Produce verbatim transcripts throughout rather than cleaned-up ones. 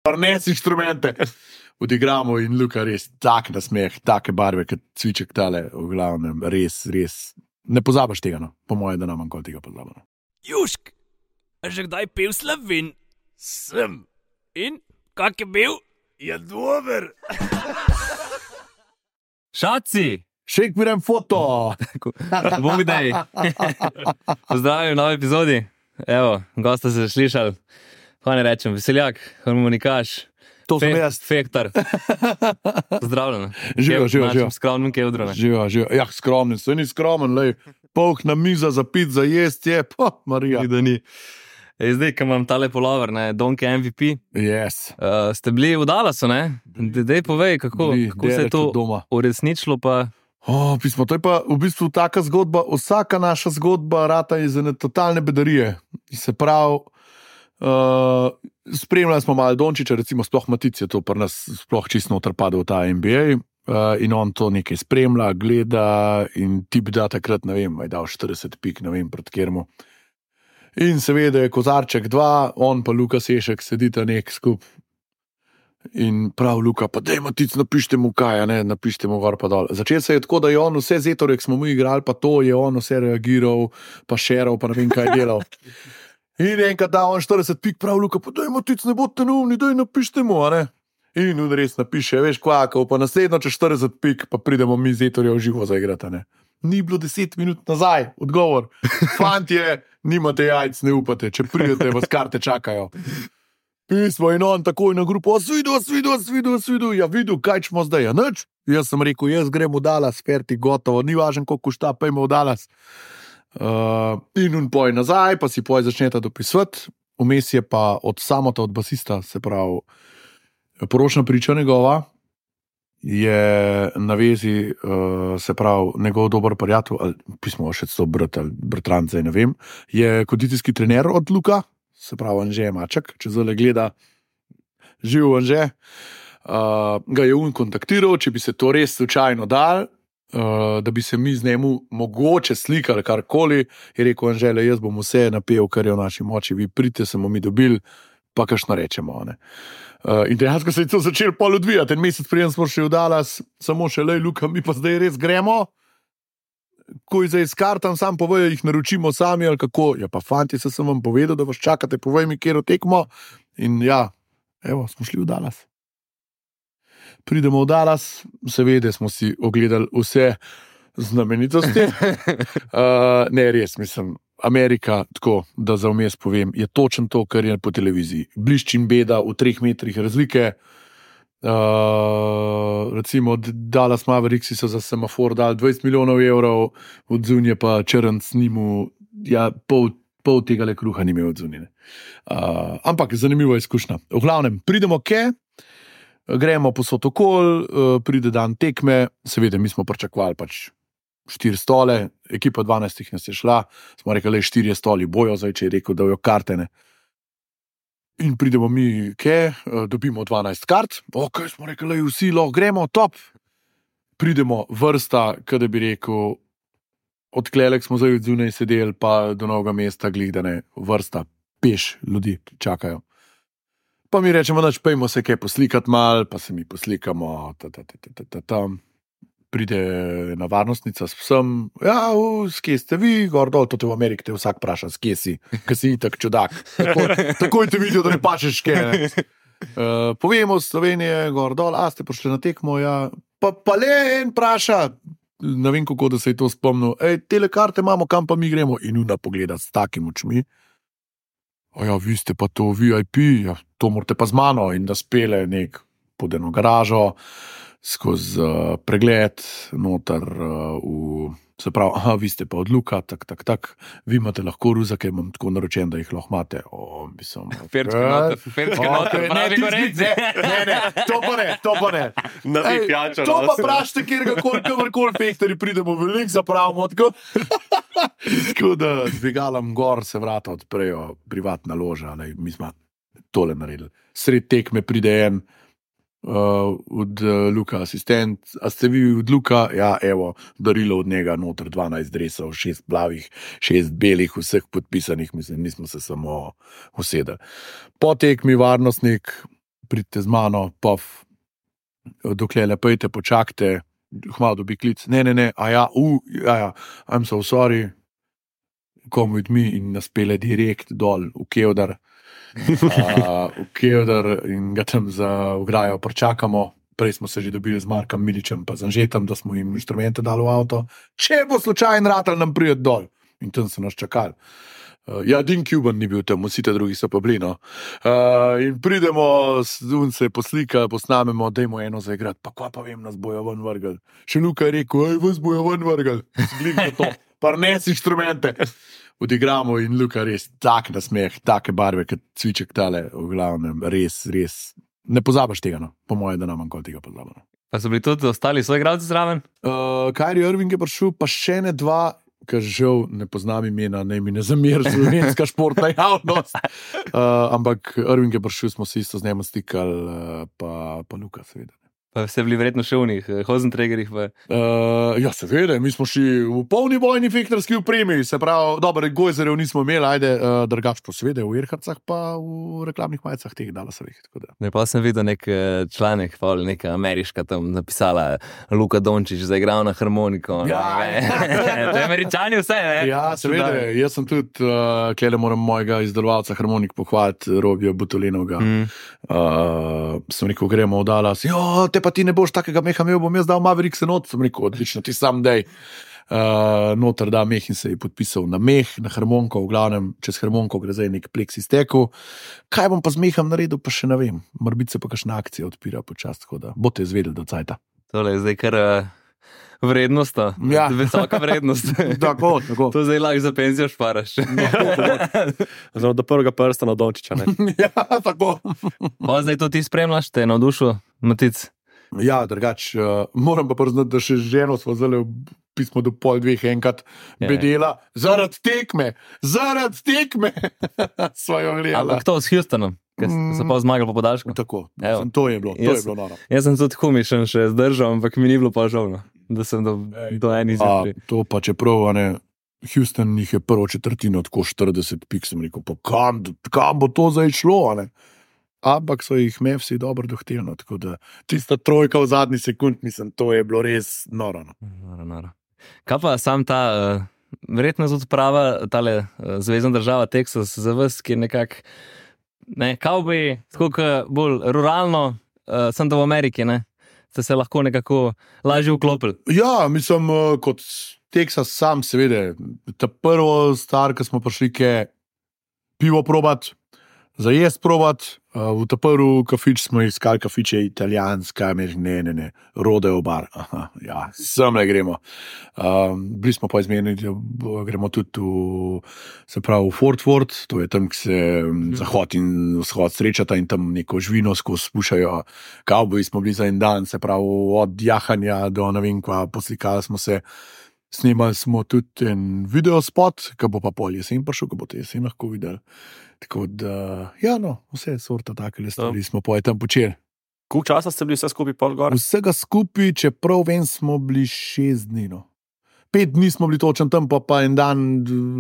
Prnes inštrumente. Odigramo in Luka res tak nasmeh, take barve, kot cviček tale, v glavnem, res, res. Ne pozabaš tega, no. Po moje, da nam manj tega pozabamo. Južk, a že kdaj pel Slovin? Sem. In, kak je bil? Je dober. Šaci! Šek mirem foto! Bog daj. Pozdravljam v novi epizodi. Evo, gosta ste slišali. Kaj ne rečem, veseljak, harmonikaš. To sem Fe, jaz. Fektar. Pozdravljeno. Živijo, živijo, živijo. Skromnim kevdru. Živijo, živijo. Ja, skromen, se ni skromen, lej. Polk na miza za pit, za jest je, pa, Marija. Da ni. E, zdaj, ko imam tale polover, ne, Donke M V P, Yes. uh, ste bili v Dallasu, ne? Dej povej, kako, Bili kako se je daleč to od doma. uresničilo, pa... O, pismo, to je pa v bistvu taka zgodba, vsaka naša zgodba rata iz ene totalne bedarije. Se pravi, uh, spremljali smo malo Dončiča, recimo sploh Matic je to pri nas sploh čisto noter padel v ta N B A uh, in on to nekaj spremlja, gleda in tip da takrat, ne vem, je dal štirideset pik, ne vem, pred kjermu. In seveda je Kozarček dva, on pa Luka Sešek sedita nek skup. In prav Luka, pa daj Matic, napište mu kaj, ne, napište mu gor pa dol. Začel se je tako, da je on vse zetorek smo mu igrali, pa to je on vse reagiral, pa šeral, pa ne vem kaj delal. In enkrat da on štirideset pik, prav Luka, pa daj Matic, ne bodte neumni, daj napište mu, a ne. In on res napiše, veš kvakov, pa naslednjo čez štirideset pik, pa pridemo mi zetorja v živo zaigrati, ne. Ni bilo deset minut nazaj, odgovor. Fantje, nimate jajc, ne upate, če pridete, vas karte čakajo. Pismo in on takoj na grupo, svidu, svidu, svidu, svidu, ja vidu, kaj smo zdaj, ja nič. Jaz sem rekel, jaz grem v Dallas, ferti, gotovo, ni važno, koliko šta, pejmo v Dallas. Uh, in on poj nazaj, pa si poj začneta dopisovati, vmes je pa od samota, od basista, se pravi, poročna priča njegova, je na vezi, uh, se pravi, njegov dober prijatelj, ali pismo še to brat, ali bratranc, zdaj ne vem, je kondicijski trener od Luka, se pravi Anže Maček, če zelo gleda, živ Anže, uh, ga je on kontaktiral, če bi se to res slučajno dal, uh, da bi se mi z njemu mogoče slikali karkoli, je rekel Anže, le jaz bom vse napel, kar je v naši moči, vi pridite, se bomo mi dobili, pa kakšno rečemo, ne. Uh, in dejansko se je to začelo pol odvijati, en mesec prijem smo še v Dallas, samo še lej, Luka, mi pa zdaj res gremo, ko je zdaj skartam, sam povejo, jih naročimo sami ali kako, ja pa fanti, se sem vam povedal, da vas čakate, povej mi, kjer tekmo, in ja, evo, smo šli v Dallas. Pridemo v Dallas, seveda smo si ogledali vse znamenitosti, uh, ne res, mislim, Amerika, tako, da za vmes povem, je točno to, kar je po televiziji. Blišč in beda v treh metrih razlike. Uh, recimo Dallas Mavericks so za semafor dali dvajset milijonov evrov, od zunje pa črn snimu, ja, pol, pol tega le kruha ni imel od zunje. Uh, ampak zanimiva izkušnja. V glavnem, pridemo ke, gremo po sotokol, uh, pride dan tekme, seveda mi smo pričakovali pač štiri stole, ekipa dvanajstih nas je šla, smo rekli, štirje stoli bojo, zdaj če je rekel, da jo kartene. In pridemo mi, ke, dobimo dvanajst kart, ok, smo rekli, vsi lahko gremo, top. Pridemo vrsta, kada bi rekel, od klelek smo zdaj od zunaj sedeli, pa do novega mesta glih, vrsta, peš ljudi čakajo. Pa mi rečemo, dač, pejmo se kaj poslikati mal, pa se mi poslikamo, ta, ta, ta, ta, ta, ta, tam. Pride na varnostnica s psom, ja, s kje ste vi, gor dol, to te v Ameriki te vsak praša, s kje si, kaj si itak čudak. Tako, takoj te vidijo, da ne pačeš kaj. Uh, povemo Slovenije, gor dol, a ste prišli na tekmo, ja, pa, pa le en praša, ne vem kako, da se je to spomnil, ej, tele karte imamo, kam pa mi gremo, in una pogleda s takim očmi. A ja, vi ste pa to V I P, ja, to morate pa z mano, in da spele nek pod eno garažo, skozi uh, pregled, noter uh, v, se pravi, aha, vi ste pa od Luka, tak, tak, tak, vi imate lahko ruzake, imam tako naročen, da jih lahko imate. O, mislim, Ferčke noter, ferčke noter, pravi korec. Ne, ne, ne, to pa ne, to pa ne. Ej, pijačo, to pa prašte, kjer ga kakorkoli fektori pridemo veliko, zapravimo tako. Tako da dvigalam gor, se vrata odprejo, privatna loža, ne, mi smo tole naredili. Sred tekme pride en, Uh, od uh, Luka asistent, a ste vi od Luka? Ja, evo, darilo od njega, noter dvanajst dresov, šest plavih, šest belih, vseh podpisanih, mislim, nismo se samo usedeli. Po tekmi varnostnik pridite z mano, pov, dokler lepejte, počakajte, hmalo dobi klic, ne, ne, ne, a ja, uh, ja, ja, I'm so sorry, come with me in nas pele direkt dol v Kevdar, uh, v Kevdar in ga tam za ograjo pričakamo. Prej smo se že dobili z Markom Miličem pa z Anžetom, da smo jim inštrumente dali v avto. Če bo slučajno ratal, nam pride dol. In tam so nas čakali. Uh, ja, Dean Cuban ni bil tam, vsi te drugi so pa bili, no. Uh, in pridemo, un se poslika, posnamemo, dajmo eno zaigrati. Pa kva pa vem, nas bojo ven vrgel. Še Luka je rekel, aj, vas bojo ven vrgel. Zglikno to, par nes inštrumente. Odigramo in Luka res tak nasmeh, take barve, kot cviček tale, v glavnem, res, res. Ne pozabaš tega, no. Po moje, da nam manj tega pozabamo. Pa so bili tudi ostali svoji igralci zraven? Uh, Kyrie Irving je prišel, pa še ne dva, ker žal ne poznam imena, ne mi ne zamir, slovenska športna javnost. Uh, ampak Irving je prišel, smo se isto z njim stikali, uh, pa, pa Luka, seveda. Pa ste bili verjetno še v njih, Hosentregerih v... Uh, ja, seveda, mi smo šli v polni bojni fektorski upremi, se pravi, dobre gojzerjev nismo imeli, ajde, uh, drugač pa seveda v Erharcah, pa v reklamnih majicah teh Dallasovih. Ne, pa sem videl nek članek, pa neka ameriška tam napisala Luka Dončić zaigral na harmoniko. Ja, to je Američani vse, ne? Ja, seveda, jaz sem tudi, uh, kjele moram mojega izdelovalca harmonik pohvaliti, Robija Butolenovga. Mm. Uh, sem rekel, gremo v Dallas, jo, te pa ti ne boš takega meha imel, bom jaz dal Maverick se not, sem rekel, odlično, ti sam dej. Uh, noter da meh in se je podpisal na meh, na harmonko, v glavnem, čez harmonko gre zdaj nek pleks iztekel. Kaj bom pa z mehom naredil, pa še ne vem. Morbit se pa kakšna akcija odpira počast, tako da boste izvedeli do cajta. Tole je zdaj kar uh, vrednost, ja. Visoka vrednost. Tako, tako. To zdaj lahko za penzijo šparaš. Zdaj do prvega prsta na Dončića, ne? Ja, tako. Pa zdaj to ti spremljaš, te je navdušil, Matic? Ja, drugač, uh, moram pa priznati, da še ženo smo zelo pismo do pol dveh enkrat Ja. bedela, zaradi tekme, zaradi tekme svojo gledala. Ampak to s Houstonom, ker so pa zmagali po podaljšku. Tako, Evo. sem, to je bilo, to Jaz- je bilo noro. Jaz sem tudi humišen še zdržal, ampak mi ni bilo pa žal, no, da sem do, do eni A, izjemni. to pa čeprav, a ne, Houston jih je prvo četrtino tako štirideset pik, sem rekel, pa kam, kam bo to zdaj šlo, a ne? Ampak so jih Mavsi dobro dohteli, no, tako da tista trojka v zadnji sekund, mislim, to je bilo res noro. No. Noro, noro. Kaj pa sam ta, uh, verjetno tudi prava tale uh, zvezna država Texas za vas, ki je nekak, ne, kavboji, tako kot bolj ruralno, uh, sem da v Ameriki, ne, ste se lahko nekako lažje vklopili. Ja, mislim, eh, kot Texas sam, seveda, ta prvo star, ko smo prišli, ke pivo probat, za jesti probat, uh, v ta prvi kafič smo iskali kafiče italijanska, ne, ne, ne, rodeo bar, aha, ja, sem le gremo. Um, bili smo pa izmenili, da bo- gremo tudi v, se pravi, v Fort Worth, to je tam, ki se mm. zahod in vzhod srečata in tam neko živino skozi spušajo. Kavboji smo bili za en dan, se pravi, od jahanja do ne vem kva, poslikali smo se. Snemali smo tudi en videospot, ki bo pa pol jesen prišel, ki boste jesen lahko videli. Tako da, ja, no, vse sorta takele stvari smo pa tam počeli. Koliko časa ste bili vse skupaj pol gor? Vsega skupaj, čeprav vem, smo bili šest dni. No. Pet dni smo bili točen tam, pa, pa en dan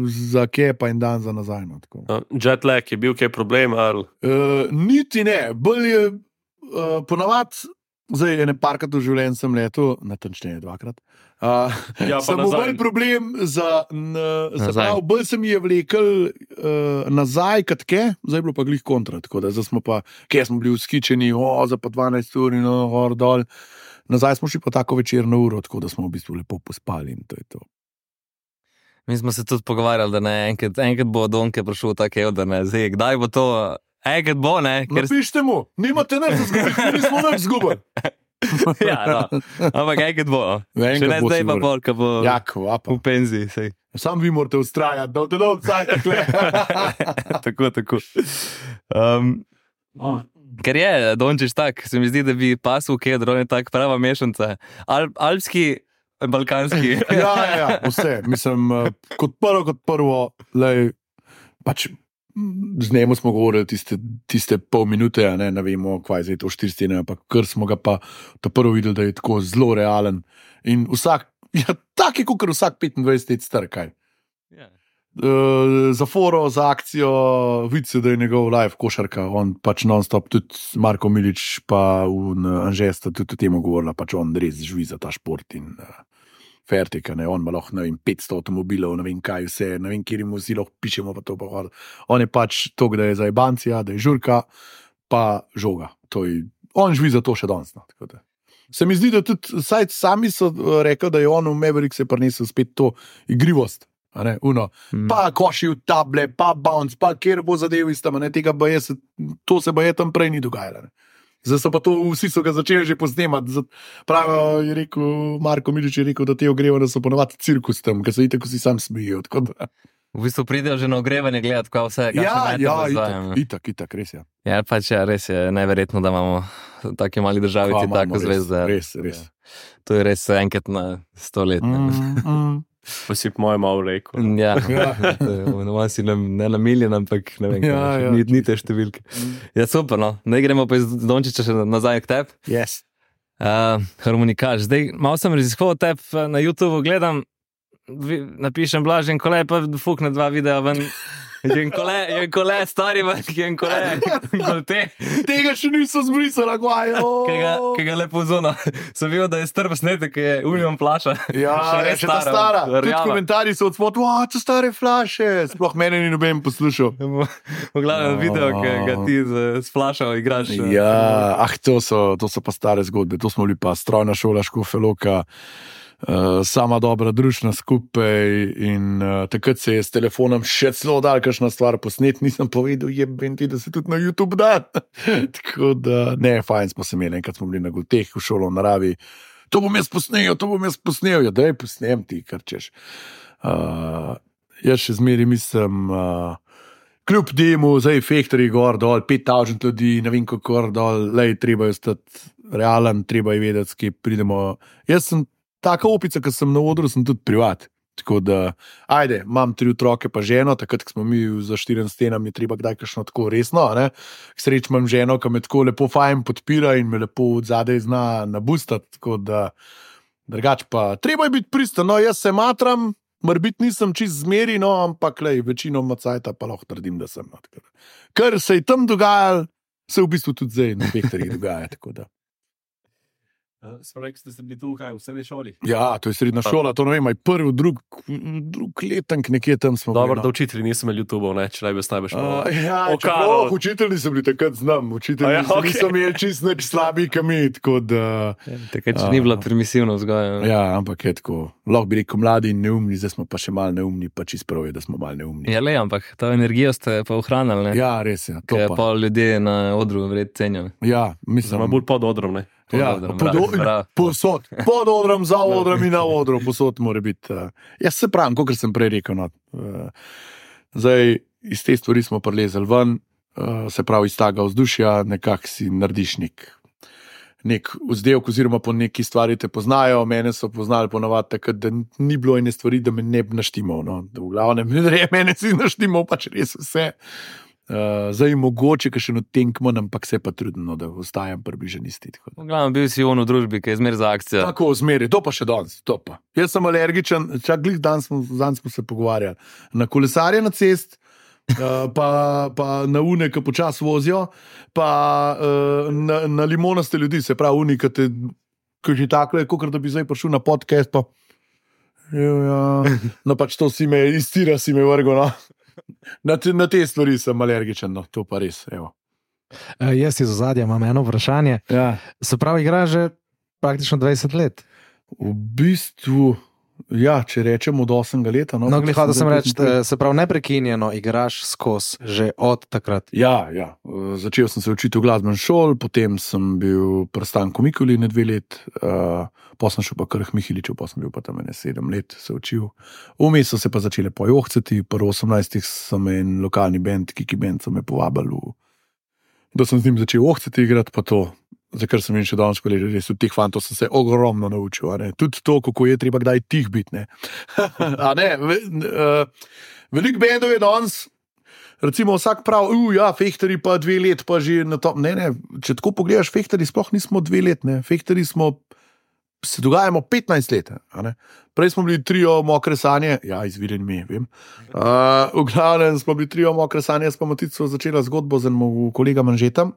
za kje, pa en dan za nazaj. No, tako. No, jet lag je bil kaj problem, ali Uh, niti ne, bolj je uh, ponavadi, zdaj je ne parkrat v življenju sem letel, natančneje dvakrat. Uh, Ja, pa samo nazaj. bolj problem za, n, se Nazaj. pravi, bolj se mi je vlekel uh, nazaj, kot ke, zdaj je bilo pa glih kontra, tako da zdaj smo pa, kje smo bili uskičeni, o, za pa dvanajst ur in no, gor dol. Nazaj smo šli pa tako večerno uro, tako da smo v bistvu lepo pospali in to je to. Mi smo se tudi pogovarjali, da ne, enkrat, enkrat bo Donke prišel tako, da ne, zdaj, kdaj bo to, enkrat bo, ne, ker... Napišite mu, nimate nič zgubiti, nismo nič zgubili. Ja, no, ampak enkrat bo, no. Enkrat Še ne bo zdaj pa sigurno. bolj, ko bo Ja, kvapa. v penziji, sej. Sam vi morate ustrajati, da boste dol cajt takle. Tako, tako. Um, ker je Dončić tak, se mi zdi, da bi pasel v Kedro, on je tak prava mešanca. Al, alpski, balkanski. Ja, ja, ja, vse. Mislim, eh, kot prvo, kot prvo, lej, pač mm, z njemu smo govorili tiste, tiste pol minute, a ne, ne vemo, kva je zdaj to štiri stene, ampak kar smo ga pa ta prvo videli, da je tako zelo realen. In vsak, ja, tak je kot vsak petindvajset let star, kaj. Ja. uh, za foro, za akcijo, vidi se, da je njegov live košarka, on pač non-stop, tudi Marko Milič pa v Anžesta tudi o tem govorila, pač on res živi za ta šport in uh, fertika, ne, on ima lahko, ne vem, petsto avtomobilov, ne vem kaj vse, ne vem, kjer jim vsi lahko pišemo pa to pa hvala. On je pač to, da je za jebancija, da je žurka, pa žoga. To je, on živi za to še danes, no, tako da. Se mi zdi, da tudi saj sami so rekli, da je on v Maverick se prinesel spet to igrivost. A ne, uno. Mm. Pa koši v table, pa bounce, pa kjer bo zadev iz tam, ne, tega baje se, to se baje tam prej ni dogajalo. Ne. Zdaj so pa to, vsi so ga začeli že posnemati. Pravijo, je rekel, Marko Milič je rekel, da te ogrevanja so ponovadi cirkus tam, ker se itak vsi sam smijo. V bistvu pridejo že na ogrevanje gledati, kaj vse je. Ja, ja, itak, itak, itak, res je. Ja, pač ja, res je neverjetno, da imamo v taki mali državi ti tako zvezde. Res, res. To je res enkrat na sto let. Mm, mm. Pa si po mojem malo rekel. Ja, ja. si ne, ne na miljen, ampak ne vem, Ja, ja. ni, ni te številke. Ja, super, no. Ne gremo pa iz Dončiča še nazaj k tebi. Yes. Uh, harmonikaš. Zdaj, malo sem raziskoval tebe na YouTubeu, gledam, vi, napišem Blažen Kole, pa fukne dva videa ven. Jen kole, jen kole, stari ven, jen kole, kolte. Tega še niso zbrisali, kaj Kaj ga lepo zona. Sem videl, da je strp snetek, ki je union plaša. Ja, Še je res še ta stara. Tudi Rjava. komentarji so od spod, wow, to stare flaše. Sploh mene ni noben poslušal. V glavnem video, ki ga ti z, s flašo igraš. Ja, ah, to so, to so pa stare zgodbe. To smo bili pa strojna šola Škofja-Loka. Uh, sama dobra družina skupaj in uh, takrat se je s telefonom še celo dal kakšna stvar posnet, nisem povedal, jebem ti, da se tudi na YouTube da. Tako da, ne, fajn smo se imeli, enkrat smo bili na Golteh v šolo v naravi, to bom jaz posnel, to bom jaz posnel, ja, daj posnem ti, kar češ. Uh, jaz še zmeri mislim, uh, kljub temu, zdaj Fehterji gor dol, pet tisoč ljudi, ne vem kako gor dol, lej, treba je stati realen, treba je vedeti, s kje pridemo. Jaz sem taka opica, ko sem na odru, sem tudi privat. Tako da, ajde, imam tri otroke pa ženo, takrat, ko smo mi za štirim stenami, treba kdaj kakšno tako resno, ne. K sreči imam ženo, ki me tako lepo fajn podpira in me lepo od zadaj zna nabustati, tako da, drugač pa, treba je biti pristan, no, jaz se matram, morbiti nisem čist zmeri, no, ampak, lej, večino macajta pa lahko trdim, da sem. No, tako da. Kar se je tam dogajalo, se v bistvu tudi zdaj na Fehterjih dogaja, tako da. Smo rekli, da ste bili tu kaj, v srednji šoli? Ja, to je srednja šola, to ne vem, aj prvi, drug, drug letank nekje tam smo. Dobro, bili, da no. učitelji niso imeli YouTubov, ne, če naj bi snajbeš malo. Uh, ja, Okaro. čeprav, učitelji so bili takrat znam, učitelji A ja, ja, okej. niso imeli čist nič slabi kami, tako da. Takrat, če ni bilo permisivno vzgoja. Ja, ampak je tako, lahko bi rekel mladi in neumni, zdaj smo pa še malo neumni, pa čist prav je, da smo malo neumni. Ja, le, ampak to energijo ste pa ohranili, ne? Ja, res je, to Ker pa. pa ljudje na odru vred cenijo. Ja, mislim. Samo bolj pod odrom, ne. Ja, odrom, pod, bravo, bravo. posod, pod odrom, za odrom in na odru, posod mora biti. Uh, jaz se pravim, kot sem prej rekel. No, uh, zdaj, iz te stvari smo prelezali ven, uh, se pravi, iz tega vzdušja, nekako si narediš nek, nek vzdevek, oziroma po neki stvari te poznajo. Mene so poznali ponovadi takrat, da ni bilo ene stvari, da me ne bi naštimal. No. V glavnem, mene si naštimal, pač res vse. Uh, zdaj mogoče, ker še no tenkmo, ampak se pa trudno, da ostajam približen isti. V glavnem bil si on v družbi, ki je zmer za akcijo. Tako zmeri, to pa še danes, to pa. Jaz sem alergičen, čak glih danes smo, danes smo se pogovarjali. Na kolesarje na cest, uh, pa, pa na une, ki počas vozijo, pa uh, na, na limonaste ljudi, se pravi uni, ki te, ki že takle, kot da bi zdaj prišel na podcast, pa ja, no pač to si me, iztira si me vrgo, no. Na te, na te stvari sem alergičen, no, to pa res, evo. Uh, jaz iz ozadja imam eno vprašanje. Ja. Se pravi, igra že praktično dvajset let. V bistvu, ja, če rečemo od osemega leta. No, No, glih, hotel sem reči, da eh, se pravi, neprekinjeno igraš skozi že od takrat. Ja, ja. Uh, začel sem se učiti v glasbeni šoli, potem sem bil pri Stanku Mikuli ne dve let, uh, pa sem šel pa kar k Mihiliču, pa sem bil pa tam ene sedem let se učil. Vmes so se pa začele pojohcati, pri osemnajstih sem en lokalni band, Kiki Band, so me povabili, v, da sem z njim začel ohcati igrati, pa to, za kar sem jim še danes povedal, res od teh fantov sem se ogromno naučil, a ne. Tudi to, kako je treba kdaj tih biti, ne. A ne, ve, uh, veliko bendov je danes, recimo vsak pravi, uh, ja, Fehterji pa dve let, pa že na to, ne, ne, če tako pogledaš, Fehterji sploh nismo dve let, ne, Fehterji smo se dogajamo petnajst let. A ne? Prej smo bili trio Mokre sanje, ja, izvirjen mi, vem. Uh, v glavnem smo bili trio Mokre sanje, s Matico začela zgodbo z enim kolegom Anžetom,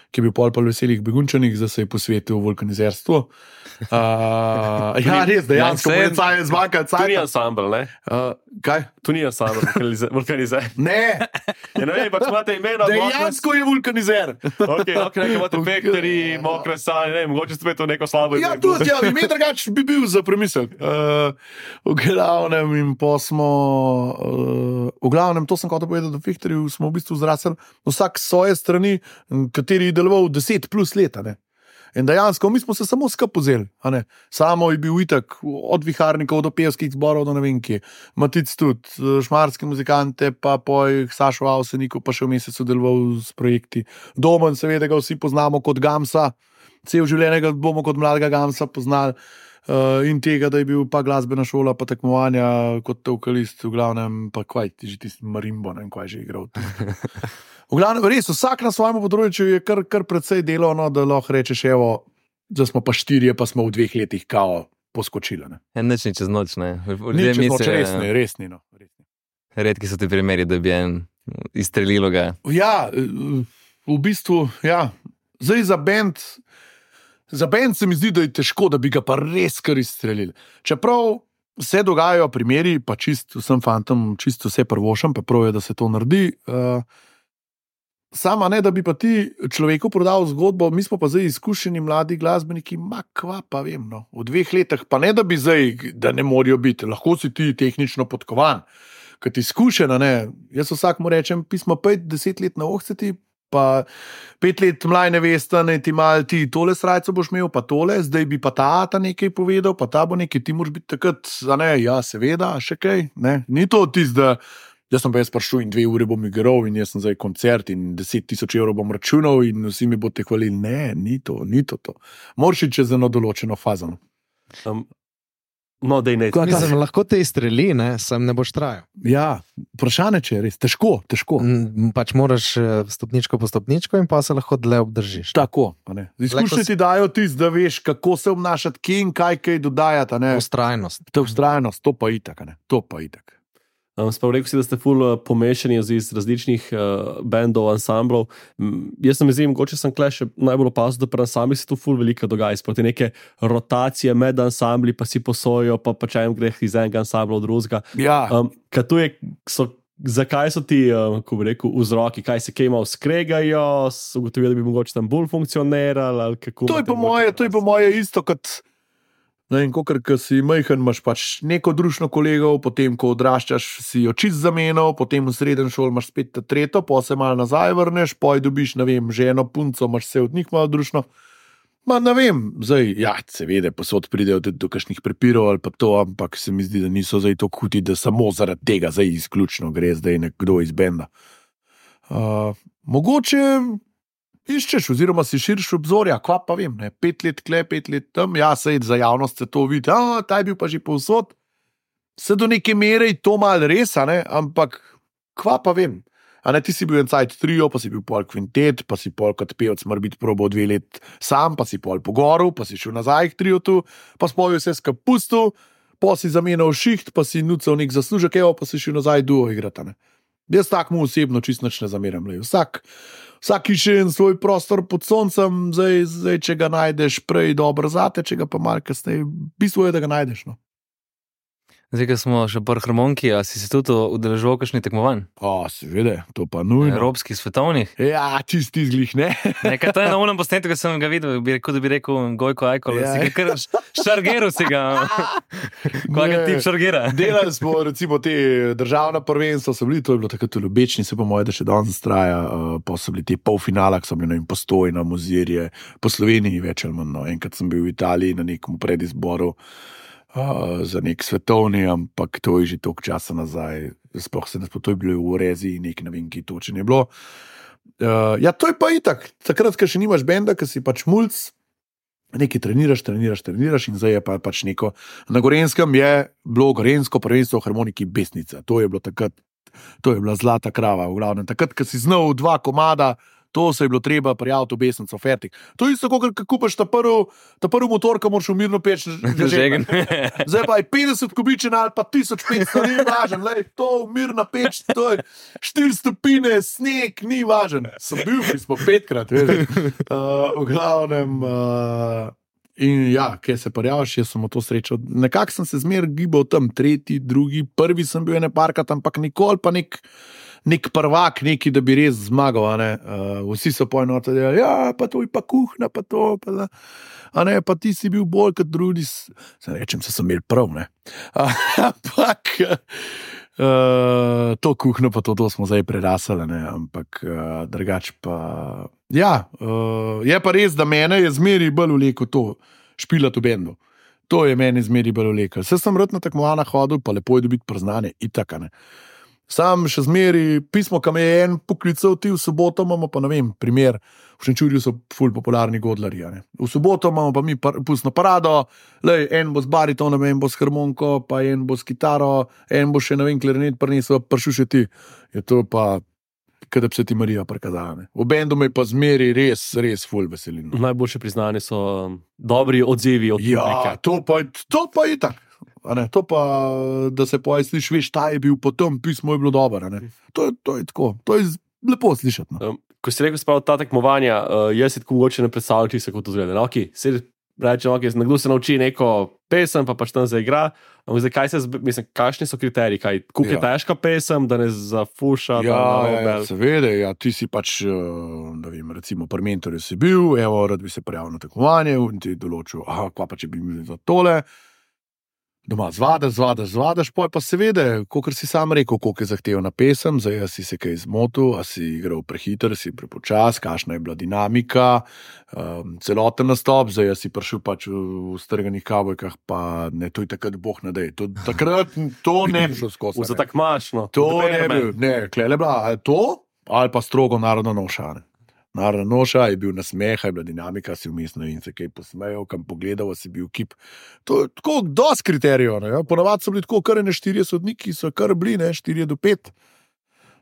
ki je bil pol pa v veselih begunčanih, zdaj se je posvetil vulkanizerstvu. Uh, ja, res, dejansko, Ja, ja, je zmanjkal To ni cajt. ansambl, ne? Uh, kaj? To ni ansambl, vulkanizer. Ne, Ja, ne vem, pač imate imena. dejansko je vulkanizer. Ok, ok, nekaj imate vektori, mokre sanje, ne vem, mogoče spet to neko slabo Ja, ime. tudi, ja, ime drugače bi bil za premislek. Uh, v glavnem, in pa smo, uh, v glavnem, to sem hotel povedati, da v Fehterju smo v bistvu zrasli vsak s svoje strani, kateri je deloval deset plus leta. Ne? In dejansko, mi smo se samo skupaj vzeli. a ne. Samo je bil itak, od viharnikov do pevskih zborov, do ne vem kje. Matic tudi, šmarske muzikante, pa poj Sašo Avseniku, pa še v mesecu deloval s projekti. Domen, seveda ga vsi poznamo kot Gamsa, cel življenje ga bomo kot mladega Gamsa poznali. Uh, in tega, da je bil pa glasbena šola, pa tekmovanja kot vokalist, v glavnem, pa kaj ti že tisti marimbo, ne vem, kaj že igral. V glavnem, res, vsak na svojem področju je kar, kar precej delovno, da lahko rečeš, evo, da smo pa štirje, pa smo v dveh letih kao poskočili. Ne. Ja, nič ni čez noč, ne. Ni čez noč, res ne, res ni. No. Res ni. Redki so ti primeri, da bi en izstrelilo ga. Ja, v bistvu, ja. Zdaj za bend, za bend se mi zdi, da je težko, da bi ga pa res kar izstrelili. Čeprav se dogajajo primeri, pa čist vsem fantom, čisto vse prvošem, pa prav je, da se to naredi. Uh, Sama ne, da bi pa ti človeku prodal zgodbo, mi smo pa zdaj izkušeni mladi glasbeniki, ma kva pa vem, no. V dveh letih, pa ne da bi zdaj, da ne morajo biti, lahko si ti tehnično podkovan, ker ti izkušena, ne. Jaz vsakmu rečem, pismo pet, deset let na ohceti, pa pet let mlaj nevesta, ne ti mal ti tole srajco boš imel, pa tole, zdaj bi pa ta ta nekaj povedal, pa ta bo nekaj, ti moraš biti takrat, a ne, ja, seveda, še kaj, ne. Ni to tist, da jaz sem pa jaz prišel in dve uri bom igral in jaz sem zdaj koncert in deset tisoč evrov bom računal in vsi mi boste hvalili. Ne, ni to, ni to. to. Moraš iti čez eno določeno fazo. Um, no, dej ne. Mislim, lahko te izstreli, ne, sem ne boš trajal. Ja, vprašanje, če je res težko, težko. Mm, Pač moraš eh, stopničko po stopničko in pa se lahko dlje obdržiš. Tako, a ne. Izkušnje ti dajo tisto, da veš, kako se obnašati, kje in kaj kaj dodajati. a ne. Ustrajnost. To vztrajnost, to pa itak, a ne. To pa itak. Um, Sprav rekel si, da ste ful uh, pomešani iz različnih uh, bendov, ansamblov. Um, jaz sem izjemno, mogoče sem kle še najbolj opazil, da pri ansamblih se tu ful veliko dogaja. Sproti neke rotacije med ansambli, pa si posojo, pa pa čajem greh iz enega ansambla od drugega. Ja, Um, kaj tu je, so, zakaj so ti, um, ko bi rekel, vzroki, kaj se kaj malo skregajo, so ugotovili, da bi mogoče tam bolj funkcionirali, ali kako? to je imate po moje, mogoče to je po moje isto kot. Ne, in kokr, ko si majhen, imaš pač neko družino kolegov, potem, ko odraščaš, si jo čist zamenjal, potem v srednji šoli imaš spet ta tretjo, pa se malo nazaj vrneš, poj dobiš, ne vem, ženo, punco, imaš vse od njih malo družino. Ma ne vem, zdaj, ja, seveda, posod pridejo do, do kakšnih prepirov ali pa to, ampak se mi zdi, da niso zdaj to huti, da samo zaradi tega zdaj izključno gre zdaj nekdo iz benda. Uh, mogoče iščeš, oziroma si širš obzorja, kva pa vem, ne, pet let kle, pet let tam, ja, sej za javnost se to vidi, a, ta je bil pa že povsod, se do neke mere je to mal res, a ne, ampak kva pa vem, a ne, ti si bil en cajt trio, pa si bil pol kvintet, pa si pol kot pevc mar biti probo dve let sam, pa si pol pogoril, pa si šel nazaj k trio tu, pa spojil vse skupaj pustil, pa si zamenjal šiht, pa si nucal nek zaslužek, evo, pa si šel nazaj duo igrati, a ne. Jaz takmu osebno čist nič ne zameram. Lej. Vsak, vsak išče en svoj prostor pod soncem, zdaj, zdaj če ga najdeš prej dobro zate, če ga pa malo kasneje, bistvo je, da ga najdeš. No. Zdaj, ko smo še pri harmoniki, a si se tudi udeležil kakšnih tekmovanj? O, seveda, to pa nujno. Evropskih, svetovnih? Ja, čisti izglih, ne. Nekaj to je na unem posnetku, ko sem ga videl, bi rekel, da bi rekel Gojko Ajkol, Ja. si ga kar šargeru si ga. Kaj ga Ne. tip šargera? Delali smo recimo te državna prvenstva, so bili, to je bilo takrat v Ljubečni, se pa moje, da še danes traja, uh, pa so bili te polfinala, ki so bili, ne vem, Postojna, Mozirje, po Sloveniji več ali manj, no. Enkrat sem bil v Italiji na nekem predizboru, Uh, za nek svetovni, ampak to je že toliko časa nazaj, sploh se ne spomnim, to je bilo v Rezi, nek ne vem, ki točno je bilo. Uh, ja, to je pa itak, takrat, ko še nimaš benda, ko si pač mulc, nekaj treniraš, treniraš, treniraš in zdaj je pa pač neko. Na Gorenskem je bilo gorensko prvenstvo v harmoniki Besnica, to je bilo takrat, to je bila zlata krava, v glavnem. Takrat, ko si znal dva komada, To se je bilo treba prijaviti v besnico, fertik. To je isto, kot kupaš ta prvi, ta prvi motor, ki moraš v mirno peč Žegen. Zdaj pa je petdeset kubičen ali pa tisoč petsto, ni važen, lej, to mirna peč, to je štiri stopine, sneg, ni važen. Sem bil, mi smo petkrat, veš. Uh, v glavnem, uh, in ja, kje se prijaviš, jaz sem v to srečal. Nekako sem se zmer gibal tam, tretji, drugi, prvi sem bil ene parkrat, ampak nikoli pa nek, nek prvak, neki, da bi res zmagal. A ne? Uh, vsi so poenoti, da ja, pa to je pa kuhna, pa to, pa da. A ne, pa ti si bil bolj kot drugi. Se rečem, se sem imel prav, ne. Ampak uh, to kuhno, pa to, to smo zdaj prerasali, ne, ampak uh, drugač pa. Ja, uh, je pa res, da mene je zmeri bolj vleko to špilati v bendu. To je meni zmeri bolj vleko. Vse sem rad na tekmovanja hodil, pa lepo je dobiti priznanje, itak, ne. Sam še zmeri pismo, kam je en poklical, ti v soboto imamo pa, ne vem, primer, v Šenčurju so ful popularni godlarji, ne. V soboto imamo pa mi par, pustno parado, lej, en bo z baritonom, en bo s harmoniko, pa en bo s kitaro, en bo še, ne vem, klarinet prinesel, prišel še ti. Je to pa kada bi se ti Marija prikazala. Ne. V bendu me pa zmeri res, res ful veselin. Najboljše priznanje so dobri odzivi od publike. Ja, to pa, to pa je tak. A ne, to pa, da se poje sliši, veš, ta je bil potem, pismo je bilo dobro. To, to je tako, to je lepo slišati. No. Um, ko si rekel, spravo ta tekmovanja, uh, jaz si tako mogoče ne predstavljam, če se kot to zgleda. No, okay, se rečem, okay, nekdo se nauči neko pesem, pa pač tam zaigra. Zdaj, kaj se, mislim, kakšni so kriteriji? Kaj, koliko je Ja. težka pesem, da ne zafuša? Ja, da, ja, ja, seveda, ja, ti si pač, da vem, recimo pri mentorju si bil, evo, rad bi se prijavil na tekmovanje in ti določil, aha, kva pa če bi imeli za tole, doma zvadaš, zvadaš, zvadaš, poj pa seveda, kakor si sam rekel, koliko je zahtevna pesem, zdaj a si se kaj zmotil, a si igral prehiter, si prepočas, kakšna je bila dinamika, um, celoten nastop, zdaj a si prišel pač v, v strganih kavbojkah, pa ne, to je takrat boh ne dej, to, takrat to ne bi šlo skozi. Za tak mašno. To ne bi, ne, klele bila, ali to, ali pa strogo narodna noša. Ne. Narodna noša je bil nasmeh, je bila dinamika, si vmesno in se kaj posmejal, kam pogledal, si bil kip. To je tako dosti kriterijev. Ja. Ponavadi so bili tako kar ne štirje sodniki, so kar bili, ne, štirje do pet.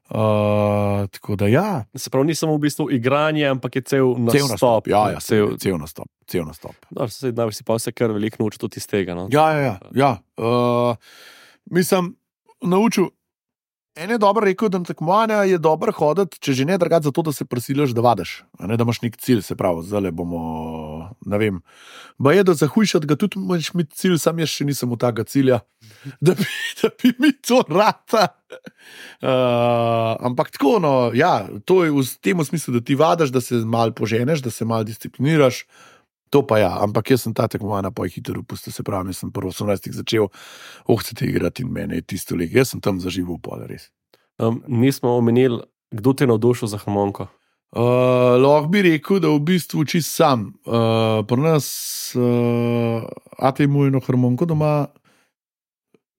Uh, tako da ja. Se pravi, ni samo v bistvu igranje, ampak je cel nastop. Cel nastop, ja, ja, cel, cel, cel nastop, cel nastop. No, se, da si pa vse kar veliko naučil tudi iz tega. No? Ja, ja, ja. ja. Uh, mislim, naučil. En je dobro rekel, da na tekmovanja je dobro hoditi, če že ne drugače zato, da se prisiliš, da vadiš, a ne da imaš nek cilj, se pravi, zdaj bomo, ne vem, ba je, da zahujšati ga tudi imaš mi cilj, sam jaz še nisem v takega cilja, da bi, da bi mi to rata. Uh, ampak tako, no, ja, to je v tem smislu, da ti vadiš, da se malo poženeš, da se malo discipliniraš. To pa ja, ampak jaz sem ta tekmovanja pa je hitro upustil, se pravi, jaz sem prvo osemnajstih začel ohceti igrati in mene je tisto leg. Jaz sem tam zaživel pole, res. Um, nismo omenili, kdo te je navdušil za harmoniko. Uh, lahko bi rekel, da v bistvu čist sam. Uh, pri nas uh, ate ima eno harmoniko doma,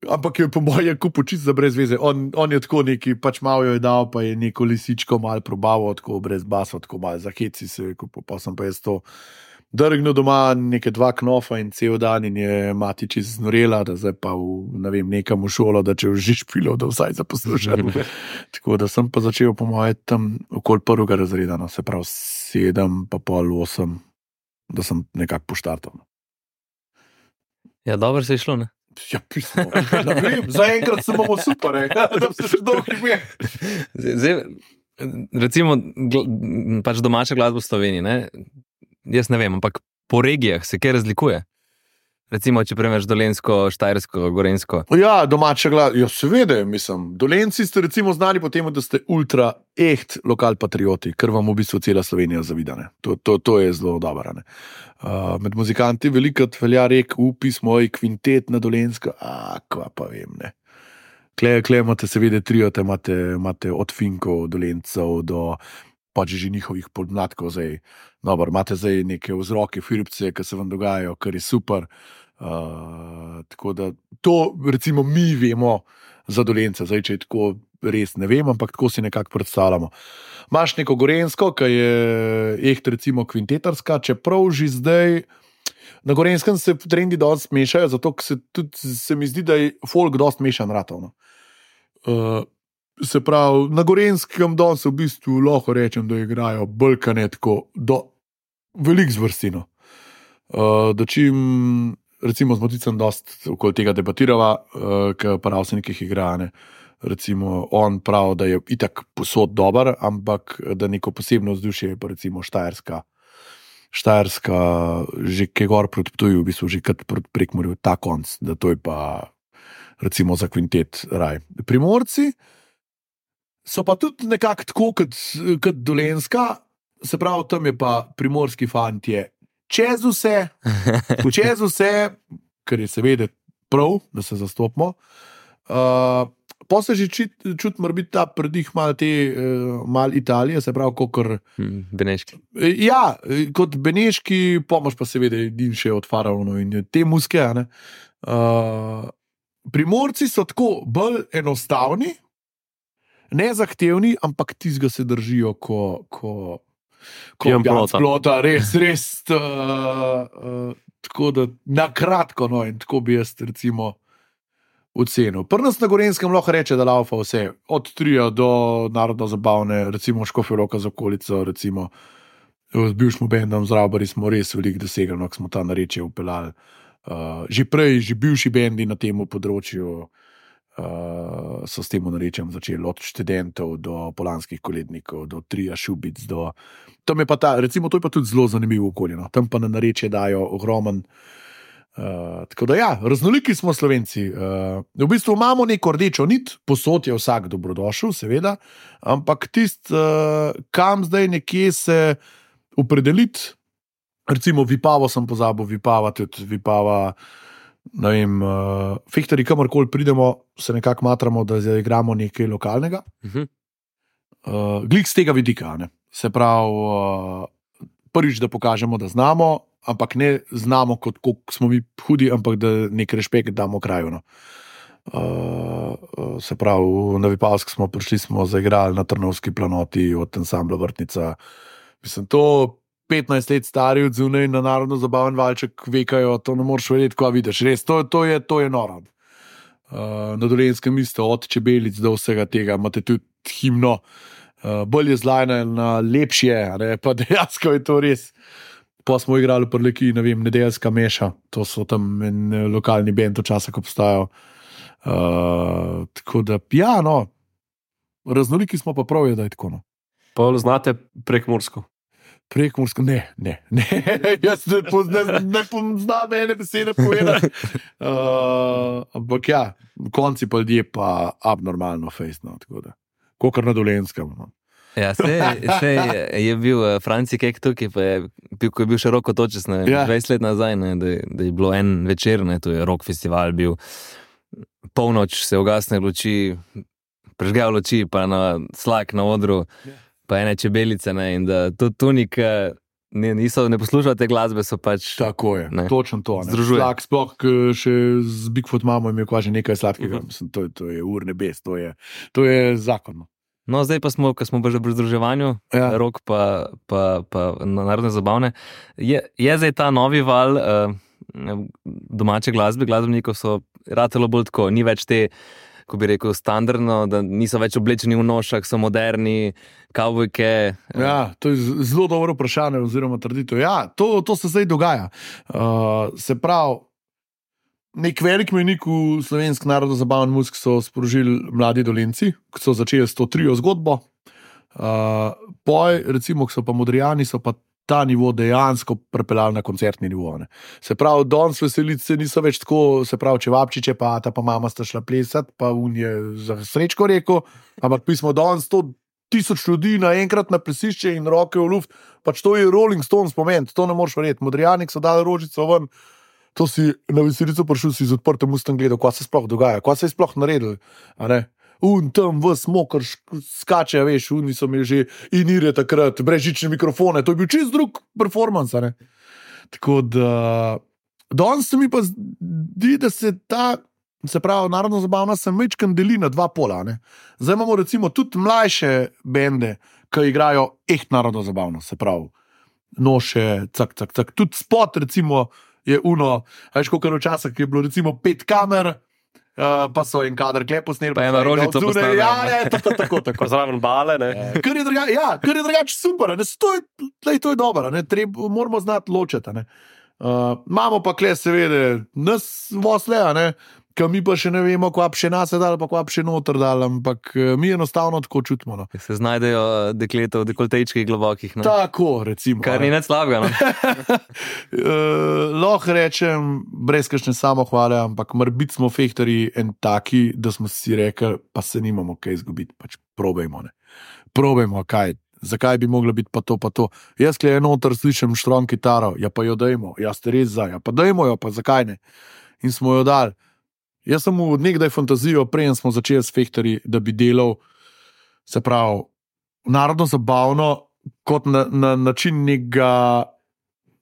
ampak je po moje kupo čist za brez veze. On, on je tako neki, pač malo jo je dal, pa je neko lisičko malo probaval, tako brez basa, tako malo za heci se je kupo, pa sem pa jaz to drgnil doma neke dva knofa in cel dan in je mati čist znorela, da zdaj pa v, ne vem, nekam v šolo, da če už špilo, da vsaj za poslušanje. Tako da sem pa začel po moje tam okoli prvega razreda, no, se pravi sedem, pa pol osem, da sem nekako poštartal. Ja, dobro se je šlo, ne? Ja, pismo. Ne vem, zaenkrat se bomo super, ne? Da se še dolgo ime. Zdaj, recimo, gl, pač domača glasba v Sloveniji, ne? Jaz ne vem, ampak po regijah se kaj razlikuje? Recimo, če premeš Dolenjsko, Štajersko, Gorenjsko. Ja, domača glasba, ja, seveda, mislim. Dolenci ste recimo znani po tem, da ste ultra echt lokal patrioti, ker vam v bistvu cela Slovenija zavida. Ne? To, to, to je zelo dobro. Uh, med muzikanti velikrat velja rek, upis moj kvintet na Dolenjsko, a kva pa vem, ne. Kle, kle imate seveda triote, imate, imate od Finkov, Dolencev do pač že njihovih podmladkov zdaj. Dobro, imate zdaj neke vzroke, firpce, ki se vam dogajajo, kar je super. Uh, tako da to recimo mi vemo za Dolence, zdaj če je tako res ne vem, ampak tako si nekako predstavljamo. Imaš neko Gorenjsko, ki je echt recimo kvintetarska, čeprav že zdaj na Gorenskem se trendi dosti mešajo, zato se tudi se mi zdi, da je folk dosti mešan ratov. No. Uh, se pravi, na Gorenskem danes v bistvu lahko rečem, da igrajo bolkane tako do velik zvrstino. Uh, da čim, recimo z Moticem dost okoli tega debatirava, uh, ker prav se nekih igrane. Recimo, on pravi, da je itak posod dober, ampak da neko posebno vzdušje je pa recimo Štajerska. Štajerska, že kaj gor proti Ptuju, v bistvu že kot proti Prekmurju, ta konc, da to je pa recimo za kvintet raj. Primorci so pa tudi nekako tako kot, kot Dolenjska, se pravi, tam je pa primorski fantje čez vse, čez vse, kar je seveda prav, da se zastopimo. Uh, pa se že čuti, čut mora biti ta predih malo te, uh, malo Italije, se pravi, kokor... Hmm, Beneški. Ja, kot Beneški, pomoč pa seveda in še od faraonov in te muske, ne. Uh, Primorci so tako bolj enostavni, nezahtevni, ampak tizga se držijo, ko, ko, ko Pijan pijanc plota. plota, res, res, uh, uh, tako da na kratko, no, in tako bi jaz recimo ocenil. Pri nas na Gorenskem lahko reče, da laufa vse, od trija do narodno zabavne, recimo Škofja Loka z okolico, recimo z bivšim bendom Zdrabari smo res veliko dosegli, no, ko smo ta narečje upeljali. Uh, že prej, že bivši bendi na tem področju uh, so s tem narečjem začeli, od študentov do polanskih kolednikov, do trija Šubic, do... Tam je pa ta, recimo, to je pa tudi zelo zanimivo okolje, no. Tam pa na narečje dajo ogromen. Uh, tako da ja, raznoliki smo Slovenci. Uh, v bistvu imamo neko rdečo nit, posod je vsak dobrodošel, seveda, ampak tist, uh, kam zdaj nekje se opredeliti, recimo Vipavo sem pozabil, Vipava tudi, Vipava, ne vem, uh, Fehtari, kamorkoli pridemo, se nekako matramo, da igramo nekaj lokalnega. Mhm. Uh, Glik z tega vidika, ne. Se pravi, uh, prvič, da pokažemo, da znamo, ampak ne znamo, kot koliko smo mi hudi, ampak da nek rešpekt damo kraju. No. Uh, uh, se pravi, na Vipavsk smo prišli, smo zaigrali na Trnovski planoti od ansambla Vrtnica. Mislim, to petnajst let stari od zunaj na narodno zabaven valček vekajo, to ne moreš verjeti, ko vidiš. Res, to, to je, to je noro. Uh, na Dolenjskem isto, od Čebelic do vsega tega, imate tudi himno, uh, bolj je zlajna, na lepše, ne, pa dejansko je to res. Pa smo igrali v Prleki, ne vem, Nedeljska meša, to so tam en lokalni bend včasih obstajal. Uh, tako da, ja, no, raznoliki smo pa prav, je, da je tako, no. Pa znate Prekmursko. Prekmursko, ne, ne, ne, jaz ne poznam, ne poznam ene besede povedati. Uh, ampak ja, v konci pa ljudje pa abnormalno fejst, no, tako da, kakor na Dolenjskem, no. Ja, sej, sej je bil uh, Franci Kek tukaj, pa je bil, ko je bil še Rok Otočec, ne, Ja. dvajset let nazaj, ne, da, je- da je bilo en večer, ne, to je Rock festival bil, polnoč se ugasne luči, prežgejo luči, pa na slak na odru, Ja. pa ene čebelice, ne, in da tudi tunik, ne, niso, ne poslušajo te glasbe, so pač... Tako je, Ne. točno to. Ne. Združuje. Slak, sploh k, še z Bigfoot mamo imel kva že nekaj sladkega. Mhm. Mislim, to, je- to je ur nebes, to je, to je zakon. No. No, zdaj pa smo, ko smo pa že pri združevanju, Ja. Rok pa, pa, pa na narodne zabavne, je, je zdaj ta novi val uh, domače glasbe, glasbenikov so ratelo bolj tako, ni več te, ko bi rekel, standardno, da niso več oblečeni v nošah, so moderni, kavbojke. Ja, to je z- zelo dobro vprašanje oziroma trditev. Ja, to, to se zdaj dogaja. Uh, se pravi, nek velik menik v slovenski narodno zabaven muzik so sprožili mladi Dolenci, ki so začeli s to trio zgodbo. Uh, poj, recimo, ki so pa Modrijani, so pa ta nivo dejansko prepeljali na koncertni nivo. Ne. Se pravi, danes veselice niso več tako, se pravi, če vapčiče, pa ta pa mama sta šla plesati, pa un je za srečko rekel, ampak mi smo danes sto tisoč ljudi naenkrat na plesišče in roke v luft, pač to je Rolling Stones pomen, to ne moreš verjeti. Modrijani so dali rožico ven, to si na veselico prišel, si z odprtim ustom gledal, kaj se sploh dogaja, kaj se je sploh naredil, a ne. Un tam v smokar skače, veš, oni so imeli že inire takrat, brezžične mikrofone, to je bil čist drug performance, a ne. Tako da, danes se mi pa zdi, da se ta, se pravi, narodno zabavna se mečkan deli na dva pola, ne. Zdaj imamo recimo tudi mlajše bende, ki igrajo echt narodno zabavno, se pravi, noše, cak, cak, cak, tudi spot recimo je uno, a veš, koliko včasih je bilo recimo pet kamer, Uh, pa so en kader klep posneli. Pa eno rožico posneli. Ja, ja, tako, tako, tako. Pa zraven bale, ne. Kar je drugače, ja, kar je drugače super, ne, to je, tlej, to je dobro, ne, Treb, moramo znati ločiti. Ne. Uh, imamo pa kle seveda nas vosle, ne, ki mi pa še ne vemo, kva še nas je dal, pa kva še noter dal, ampak mi enostavno tako čutimo. No. Se znajdejo dekleta v dekoltejčkih globokih. Ne? Tako, recimo. Kar ni nič slabega. No? uh, lahko rečem, brez kakšne samohvale, ampak morbiti smo fehtarji en taki, da smo si rekli, pa se nimamo kaj izgubiti, pač probejmo, ne. Probejmo, kaj, zakaj bi mogla biti pa to, pa to. Jaz kle enotar slišim štrom kitaro, ja pa jo dajmo, ja ste res za, ja pa dajmo jo, pa zakaj ne. In smo jo dali. Jaz sem v nekdaj fantazijo, preden smo začeli s fehtarji, da bi delal, se pravi, narodno zabavno, kot na, na način nekega,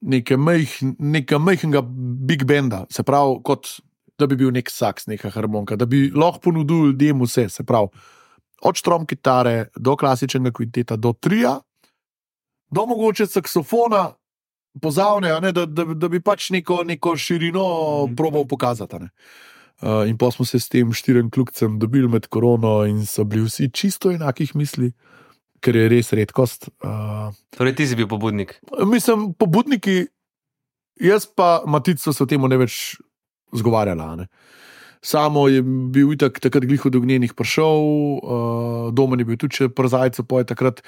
neke mejh, neka mejhnega big benda, se pravi, kot da bi bil nek saks, neka harmonika, da bi lahko ponudil ljudem vse, se pravi, od štrom kitare do klasičnega kvinteta, do trija, do mogoče saksofona, pozavne, ne, da, da, da bi pač neko, neko širino probal pokazati. Ne. Uh, in pa smo se s tem štirim kljukcem dobili med korono in so bili vsi čisto enakih misli, ker je res redkost. Uh, torej ti si bil pobudnik? Mislim, pobudniki, jaz pa Matico se o temu ne več zgovarjala. Ne. Samo je bil itak takrat glih od ognjenih prišel, uh, Domen je bil tudi še przajco poje takrat.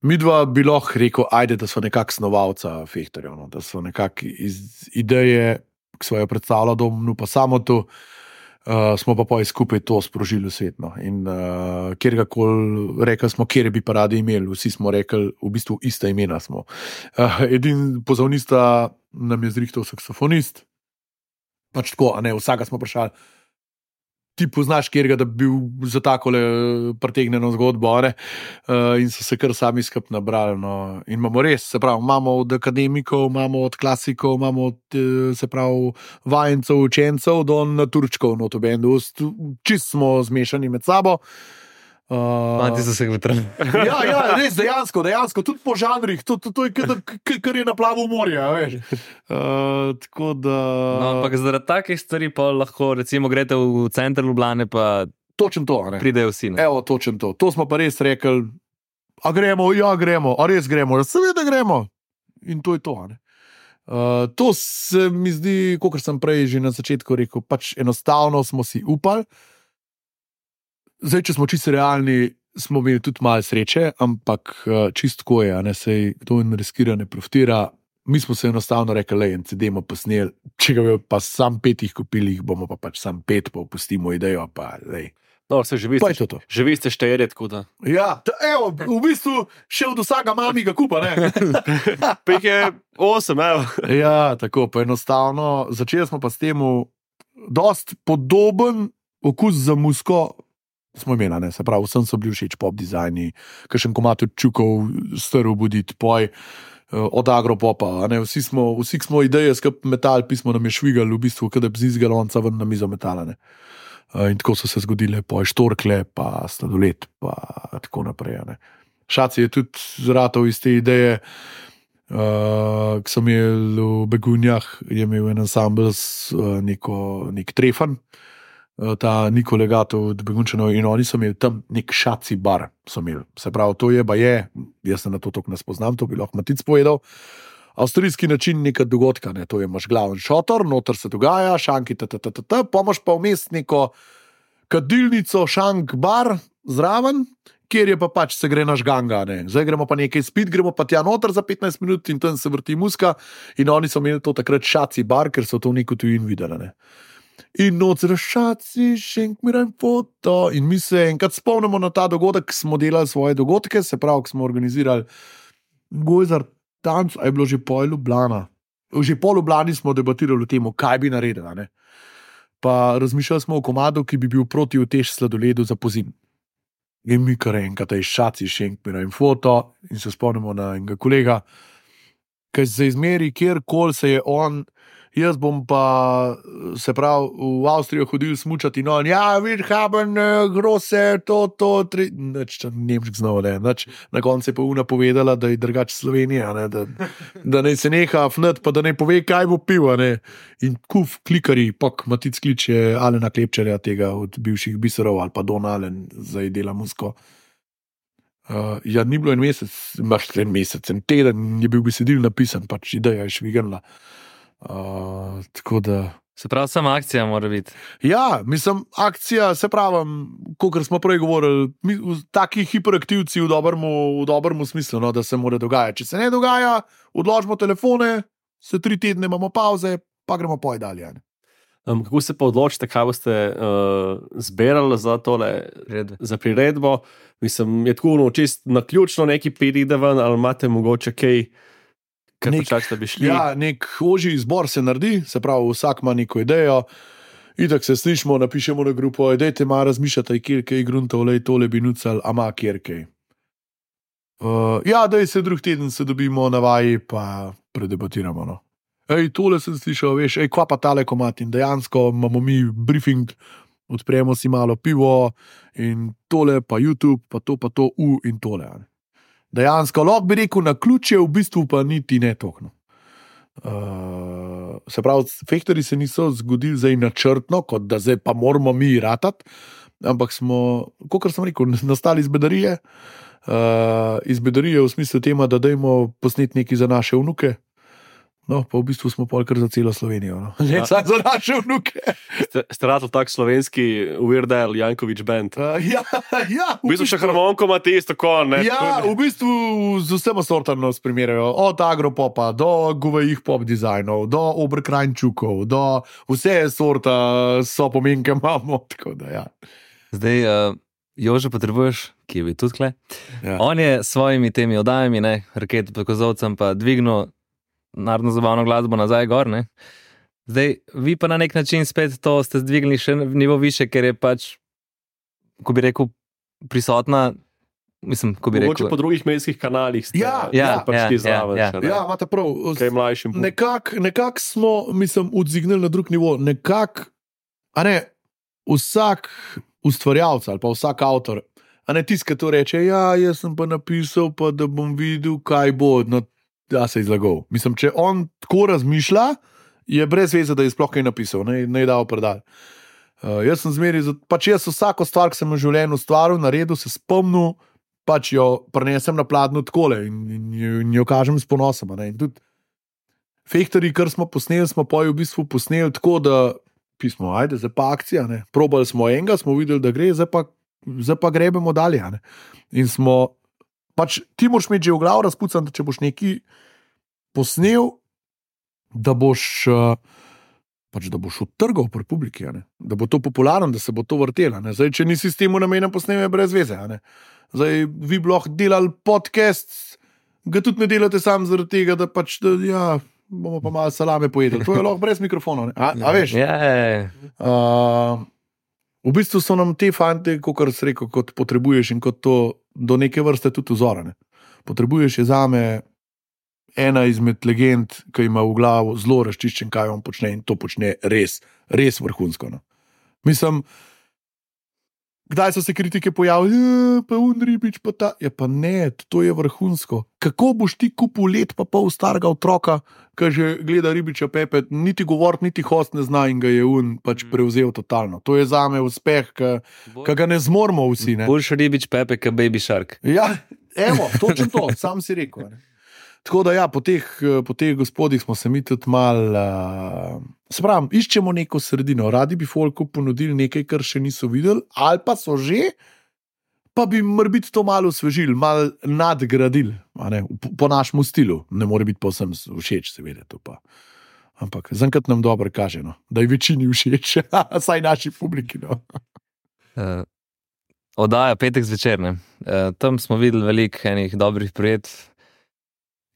Midva bi lahko rekel, ajde, da so nekak snovalca fehtarjev, no, da so nekak iz ideje, ki so jo predstavljala Domenu, pa samo to, Uh, smo pa poj skupaj to sprožili v svet. No. In uh, kjerkoli rekli smo, kjer bi pa radi imeli, vsi smo rekli, v bistvu ista imena smo. Uh, edin pozavnista nam je zrihtal saksofonist, pač tako, a ne, vsaka smo vprašali, ti poznaš kjerga, da bi bil za takole pretegnjeno zgodbo, ne? Uh, in so se kar sami skup nabrali. No. In imamo res, se pravi, imamo od akademikov, imamo od klasikov, imamo od, se pravi, vajencev, učencev do naturčkov, no, to bendu. Čist smo zmešani med sabo. Uh, Manti so se vetrali. ja, ja, res, dejansko, dejansko, tudi po žanrih, to, to, to je kar je na plavu morja, veš. Uh, tako da... No, ampak zaradi takih stvari pa lahko, recimo, grete v center Ljubljane, pa točen to, ne. Pridejo vsi. Ne? Evo, točen to. To smo pa res rekli, a gremo, ja gremo, a res gremo, seveda gremo. In to je to, ne. Uh, to se mi zdi, kakor sem prej že na začetku rekel, pač enostavno smo si upali. Zdaj, če smo čisto realni, smo imeli tudi malo sreče, ampak čistko je, a ne, sej kdo in riskira, ne profitira. Mi smo se enostavno rekli, lej, en C D bomo posneli, če ga bi pa sam pet jih kupili, jih bomo pa pač sam pet, pa opustimo idejo, pa lej. No, se živi Pa je to to. Živi ste šteje, tako da. Ja, t- evo, v bistvu še od vsega mami ga kupa, ne? Pa jih je osem, evo. Ja, tako, pa enostavno, začeli smo pa s temu dost podoben okus za musko, smo imeli, ne, se pravi, vsem so bili všeč pop dizajni, kakšen komad od Čukov, Strl budit, poj, od Agropopa, ne, vsi smo, vsi smo ideje skup metal, pismo nam je švigali, v bistvu, kada bi z galonca ven na mizo metala, ne. In tako so se zgodile poj štorkle, pa sladoled, pa tako naprej, ne. Šaci je tudi zratal iz te ideje, uh, ki sem imel v Begunjah, je imel en ansambl s uh, neko, nek trefan, ta Niko Legato od Begunčanov, in oni so imeli tam nek šaci bar, so imeli. Se pravi, to je, ba je, jaz se na to toliko ne spoznam, to bi lahko Matic povedal, avstrijski način neka dogodka, ne, to je, imaš glaven šotor, noter se dogaja, šanki, ttt, pa imaš pa vmes neko kadilnico, šank bar zraven, kjer je pa pač se gre naš ganga, ne. Zdaj gremo pa nekaj spit, gremo pa tja noter za petnajst minut in tam se vrti muska, in oni so imeli to takrat šaci bar, ker so to v neko tujin videli, ne. In noč rašaci, šenk miram foto. In mi se enkrat spomnimo na ta dogodek, ki smo delali svoje dogodke, se pravi, ki smo organizirali Gojzar tanc, a je bilo že pol Ljubljana. Že pol Ljubljani smo debatirali o tem, kaj bi naredila, ne. Pa razmišljali smo o komadu, ki bi bil proti utež sladoledu za pozim. In mi kar enkrat, aj šaci, šenk miram foto, in se spomnimo na enega kolega, ki se izmeri, kjerkoli se je on jaz bom pa se pravi v Avstrijo hodil smučati in on, ja, wir haben uh, große, to, to, tri, neč, nemšk znal, ne, neč, na koncu je pa Una povedala, da je drugače Slovenija, ne, da, da ne se neha fnat, pa da ne pove, kaj bo pil, ne, in kuf klikari, pak Matic kliče Alena Klepčarja, tega od bivših biserov, ali pa Don Alen, zdaj dela muziko. Uh, ja, ni bilo en mesec, imaš en mesec, en teden je bil besedil napisan, pač ideja je švignila. Uh, tako da. Se pravi, sama akcija mora biti. Ja, mislim, akcija, se pravim, kot smo prej govorili, mi, taki hiperaktivci v dobrem, v dobrem smislu, no, da se mora dogajati. Če se ne dogaja, odložimo telefone, se tri tedne imamo pauze, pa gremo poj dalje. Um, kako se pa odločite, kaj boste uh, zbirali za tole, Redve. za priredbo? Mislim, je tako no, čist naključno neki pride ven, ali imate mogoče kaj, kar počakate, da bi šli? Ja, nek ožji izbor se naredi, se pravi, vsak ima neko idejo, itak se slišimo, napišemo na grupo, dajte malo razmišljati, kjer kaj gruntov, lej tole bi nucal, ama kjer kaj. Uh, ja, daj se drug teden se dobimo na vaji, pa predebatiramo, no. Ej, tole sem slišal, veš, ej, kva pa tale komat in dejansko imamo mi briefing, odpremo si malo pivo in tole pa YouTube, pa to pa to, u in tole. Ne. Dejansko, lahko bi rekel, na ključe v bistvu pa niti ne tokno. Uh, se pravi, fehterji se niso zgodili zdaj načrtno, kot da zdaj pa moramo mi ratati, ampak smo, kot sem rekel, nastali iz bedarije, uh, iz bedarije v smislu tema, da dajmo posneti nekaj za naše vnuke. No, pa v bistvu smo polkar za celo Slovenijo. No. Ne, ja. Za naše vnuke. Ste, ste ratali tak slovenski Weird Al Janković band? Uh, ja, ja. V bistvu še harmonko ima tisto kon, ne? Ja, v bistvu z vsema sortano spremirajo. Od agropopa, do govejih pop dizajnov, do obrkrajnčukov, do vse sorta so pomenke imamo, tako da ja. Zdaj, uh, Jože potrebuješ, ki je bil tudi tle. Ja. On je s svojimi temi oddajami, ne, Raketo pod kozovcem, pa dvignil narodno zabavno glasbo nazaj gor, ne. Zdaj, vi pa na nek način spet to ste zdvignili še v nivo više, ker je pač, ko bi rekel, prisotna, mislim, ko bi Mogoče rekel... po drugih medijskih kanalih ste, Ja, ja, pač ja, ti zraven ja, še, ne? Ja, imate prav. Kaj mlajšim. Nekako nekak smo, mislim, odzignili na drug nivo. Nekako, a ne, vsak ustvarjalec ali pa vsak avtor, a ne tisk, ki to reče, ja, jaz sem pa napisal, pa da bom videl, kaj bo, no, da se je izlagal. Mislim, če on tako razmišlja, je brez veze, da je sploh kaj napisal, ne, ne je dal predal. Uh, jaz sem zmeri, pač jaz vsako stvar, ki sem v življenju ustvaril, naredil, se spomnil, pač jo prenesem na pladnju takole in, in, in jo kažem s ponosom. Ne. In tudi fehterji, kar smo posneli, smo pa v bistvu posneli tako, da pismo, ajde, zdaj pa akcija, ne. Probali smo enega, smo videli, da gre, zdaj pa, zdaj pa grebemo dalje. Ne. In smo, pač ti moraš imeti že v glavu razpucan, da če boš neki posnel, da boš, pač, da boš odtrgal pri publiki, ne? Da bo to popularno, da se bo to vrtelo. Ne? Zdaj, če nisi s tem namenom posnel, je brez veze. Ne? Zdaj, vi bi lahko delali podcast, ga tudi ne delate sam zaradi tega, da pač, da, ja, bomo pa malo salame pojedli. To je lahko brez mikrofonov. Ne? A, a veš? Ja, ja, Uh, v bistvu so nam te fante, kot si rekel, kot potrebuješ in kot to do neke vrste tudi vzorane. Potrebuješ je zame ena izmed legend, ki ima v glavu zelo razčiščen, kaj on počne in to počne res, res vrhunsko. No. Mislim, kdaj so se kritike pojavili, pa un ribič, pa ta, ja pa ne, to je vrhunsko. Kako boš ti kupil let pa pol starega otroka, ki že gleda ribiča Pepe, niti govorit, niti host ne zna in ga je un pač prevzel totalno. To je zame uspeh, ki ga ne zmoremo vsi. Ne. Boljši ribič Pepe, kot Baby Shark. Ja, evo, točno to, sam si rekel. Ne. Tako da ja, po teh, po teh gospodih smo se mi tudi mal, uh, spravim, iščemo neko sredino, radi bi folku ponudili nekaj, kar še niso videli, ali pa so že, pa bi morbiti to malo osvežili, malo nadgradili, ne, po, po našemu stilu, ne more biti povsem všeč, seveda to pa. Ampak zaenkrat nam dobro kaže, no, da je večini všeč, saj naši publiki. No. Uh, oddaja petek zvečer, ne. Uh, tam smo videli veliko enih dobrih projekt,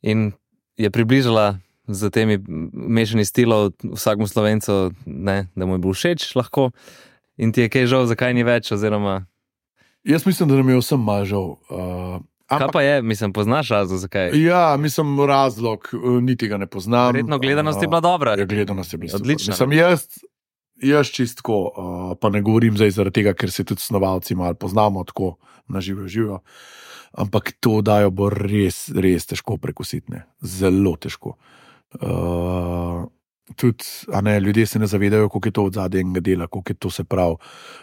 in je približala z temi mešani stilov vsakmu Slovencu, ne, da mu je bil všeč lahko in ti je kaj žal, zakaj ni več, oziroma... Jaz mislim, da nam je vsem malo žal. Uh, Kaj pa je, mislim, poznaš razlog, zakaj? Ja, mislim, razlog, niti ga ne poznam. Verjetno gledanost je bila dobra. Ja, gledanost je bila odlična. Mislim, jaz, jaz čistko, pa ne govorim zdaj zaradi tega, ker se tudi snovalci malo poznamo, tako na živo živo. Ampak to dajo bo res, res težko prekusiti, ne. Zelo težko. Uh, tudi, a ne, ljudje se ne zavedajo, koliko je to od zadaj enega dela, koliko je to se prav,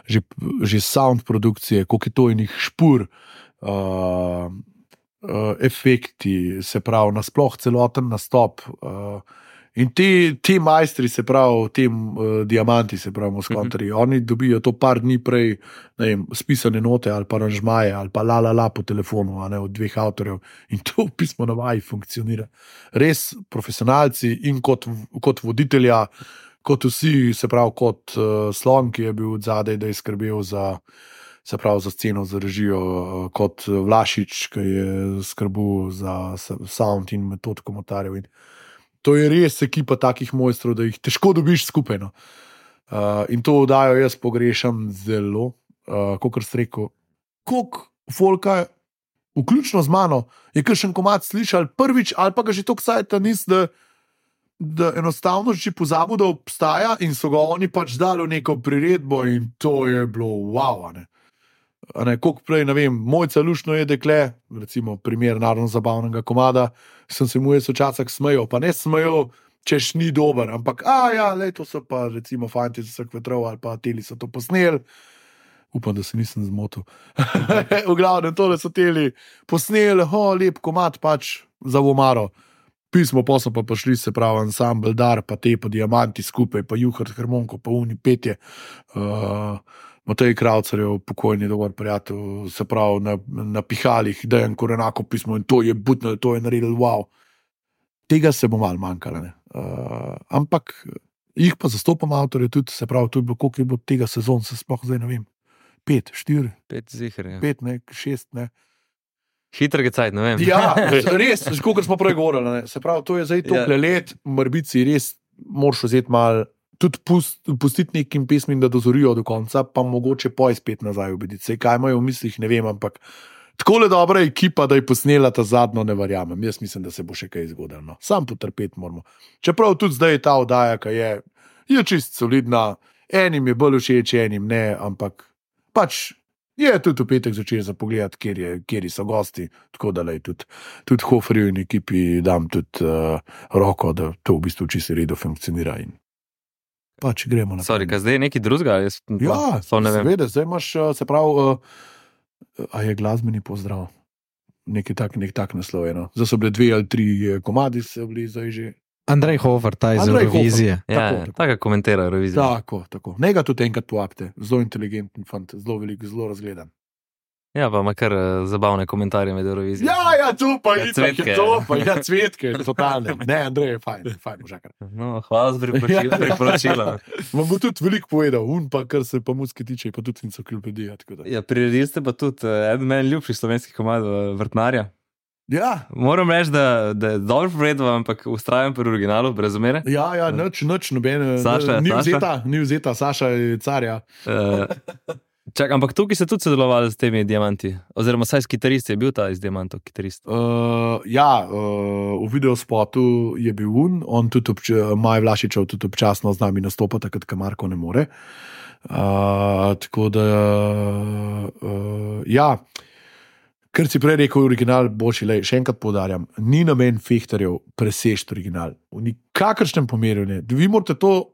že, že sound produkcije, koliko je to enih špur, uh, uh, efekti, se prav, nasploh celoten nastop. Uh, in ti, ti majstri, se prav, tem uh, diamanti, se prav, Moskontarji, mm-hmm. oni dobijo to par dni prej, ne vem, spisane note ali pa aranžmaje ali pa la la la po telefonu, a ne, od dveh avtorjev in to pismo na vaji funkcionira. Res profesionalci in kot, kot voditelja, kot vsi, se prav, kot uh, Slon, ki je bil od zadaj, da je skrbel za, se prav, za sceno, za režijo, uh, kot Vlašič, ki je skrbel za sound in metod komentarjev in to je res ekipa takih mojstrov, da jih težko dobiš skupaj. No. Uh, in to oddajo jaz pogrešam zelo, uh, kot ste rekel, koliko folka, vključno z mano, je kakšen komad slišal prvič, ali pa ga že toliko sajta nis, da, da enostavno že pozabil, da obstaja in so ga oni pač dali v neko priredbo in to je bilo wow, a ne. A ne, koliko prej, ne vem, Mojca Lušno je dekle, recimo primer narodno-zabavnega komada, sem se mu jaz včasih smejal, pa ne smejal, češ ni dober, ampak, a ja, lej, to so pa recimo fanti z vseh vetrov ali pa teli so to posneli, upam, da se nisem zmotil. V glavnem, tole so teli posneli, ho, lep komad pač za Vomaro. Pismo, pa so pa prišli, se pravi, ansambl Dar, pa te pa Diamanti skupaj, pa Juhar, Harmonko, pa Uni petje. Uh, Matej Kravcarjev, pokojni dober prijatelj, se pravi, na, na pihalih, Dejan Korenako pismo in to je butno, to je naredil, wow. Tega se bo malo manjkalo, ne. Uh, ampak jih pa zastopam avtorje tudi, se pravi, to je bilo, koliko je bilo tega sezon, se sploh zdaj ne vem, pet, štiri, Pet zihar, ja. pet, ne, šest, ne. Hitr gecajt, ne vem. Ja, res, kot smo prej govorili, ne. Se pravi, to je zdaj tople ja. let, morbici res moraš vzeti malo, tudi pust, pustiti nekim pesmim, da dozorijo do konca, pa mogoče poj spet nazaj ubediti. Sej kaj imajo v mislih, ne vem, ampak takole dobra ekipa, da je posnela ta zadnjo, ne verjamem. Jaz mislim, da se bo še kaj zgodilo. No. Sam potrpeti moramo. Čeprav tudi zdaj je ta oddaja, ki je, je čist solidna, enim je bolj všeč, enim ne, ampak pač je tudi v petek začel za pogled, kjer, je, kjer so gosti, tako da lej, tudi, tudi Hoferju in ekipi dam tudi uh, roko, da to v bistvu čisto redo funkcionira in pač gremo naprej. Sorry, kaj zdaj je nekaj drugega? Jaz, ja, pa, ne seveda, zdaj imaš, se pravi, uh, a je glasbeni pozdrav, nekaj tak, nek tak naslov, no. Zdaj so bile dve ali tri komadi, so bili zdaj že. Andrej Hofer, ta iz Eurovizije. Ja, tako komentira Eurovizijo. Tako, tako. Ne ga tudi enkrat povabite, zelo inteligenten fant, zelo velik, zelo razgledan. Ja, pa ima kar uh, zabavne komentarje med Eurovizijo. Ja, ja, tu pa ja, je cvetke, to pa je ja, cvetke, totalne. Ne, Andrej je fajn, fajn možakar. No, hvala za priporočilo. priporočilo. Vam bo tudi veliko povedal, un pa, kar se pa muzike tiče, pa tudi enciklopedija. Ja, priredili ste pa tudi uh, eden meni ljubši slovenski komad uh, Vrtnarja. Ja. Moram reči, da, da je dobro povedal, ampak ustrajam pri originalu, brez omere. Ja, ja, nič, nič, nobene. Saša, ni Saša. vzeta, ni vzeta, Saša je carja. Uh, čak, ampak tukaj ste tudi sodelovali s temi diamanti, oziroma saj s kitaristi je bil ta iz diamantov kitarist. Uh, ja, uh, v videospotu je bil un, on tudi, obč Maj Vlašičev tudi občasno z nami nastopa, takrat, ko Marko ne more. Uh, tako da, uh, ja, ker si prej rekel, original boljši, lej, še enkrat poudarjam, ni namen fehtarjev presežiti original. V nikakršnem pomeru ne. Vi morate to,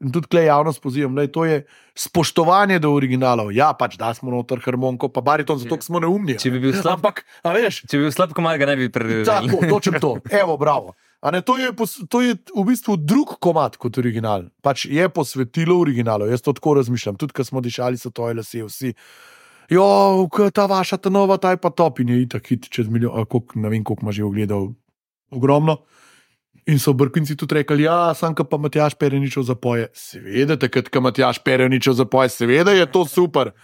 in tudi tukaj javnost pozivam, lej, to je spoštovanje do originalov. Ja, pač da smo noter harmonko, pa bariton, zato smo neumni. Če bi bil slab, ampak, a veš, če bi bil slab komad, ga ne bi predvideli. Tako, točem to. Evo, bravo. A ne, to, je, to je v bistvu drug komad kot original. Pač je posvetilo originalov. Jaz to tako razmišljam. Tudi, ko smo dišali so toje lase, vsi. Jo, ta vaša, ta nova, ta je pa top in je itak hit čez milijon, kolik, ne vem, koliko ima že ogledal, ogromno. In so Brkinci tudi rekli, ja, sam ka pa Matjaž Pereničev zapoje. Seveda, takrat, ka Matjaž Pereničev zapoje, seveda je to super.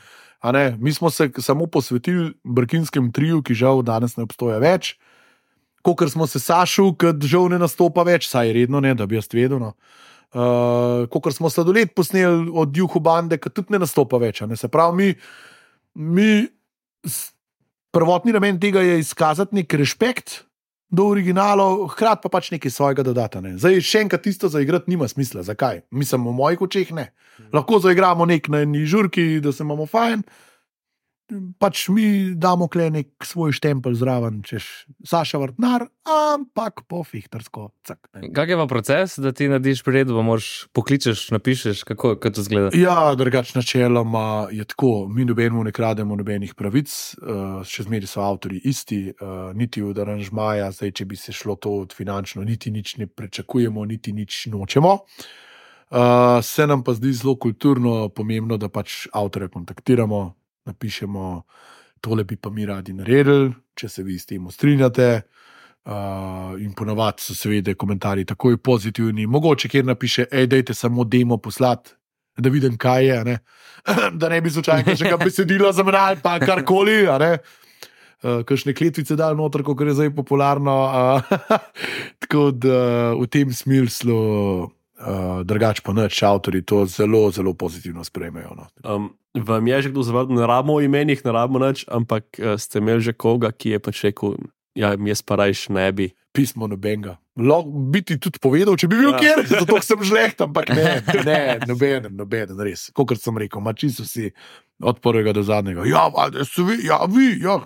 A ne, mi smo se samo posvetili Brkinskem triju, ki žal danes ne obstoja več, kokor smo se Sašu, ki žal ne nastopa več, saj redno ne, da bi jaz vedel, no. Uh, kokor smo Sladoled posneli od Juhu bande, ki tudi ne nastopa več, a ne, se pravi, mi Mi prvotni namen tega je izkazati nek respekt do originalov, hkrati pa pač nekaj svojega dodata. Ne. Zdaj, še enkrat tisto zaigrati nima smisla. Zakaj? Mislim, v mojih očeh ne. Lahko zaigramo nek na eni žurki, da se imamo fajn, pač mi damo kle nek svoj štempelj zraven, češ Saša Vrtnar, ampak po fihtarsko. Kak je pa proces, da ti narediš priredbo, moraš pokličeš, napišeš, kako, kako to zgleda? Ja, drugač načeloma je tako, mi nobenemu ne krademo nobenih pravic, uh, še zmeri so avtorji isti, uh, niti od aranžmaja, zdaj, če bi se šlo to od finančno, niti nič ne prečakujemo, niti nič nočemo. Uh, se nam pa zdi zelo kulturno pomembno, da pač avtorja kontaktiramo, napišemo, tole bi pa mi radi naredili, če se vi s tem strinjate. Uh, in ponovadi so seveda komentarji takoj pozitivni. Mogoče kjer napiše, ej, dajte samo demo poslati, da vidim, kaj je, ne? Da ne bi slučajno kakšnega besedila zamenjali, pa karkoli, a ne. Uh, kakšne kletvice dal noter, kot je zdaj popularno. Uh, tako da v tem smislu uh, drugač pa nič, avtorji to zelo, zelo pozitivno sprejmejo. No. Um, vam je že kdo zavrnil, ne rabimo o imenih, ne rabimo nič, ampak uh, ste imeli že koga, ki je pač rekel, ja, jaz pa rajš ne bi. Pismo nobenega. Lahko bi ti tudi povedal, če bi bil ja. Kjer, zato sem žleht, ampak ne, ne, nobeden, nobeden, res. Kokor sem rekel, mači so si od prvega do zadnjega. Ja, so vi, ja, vi, ja,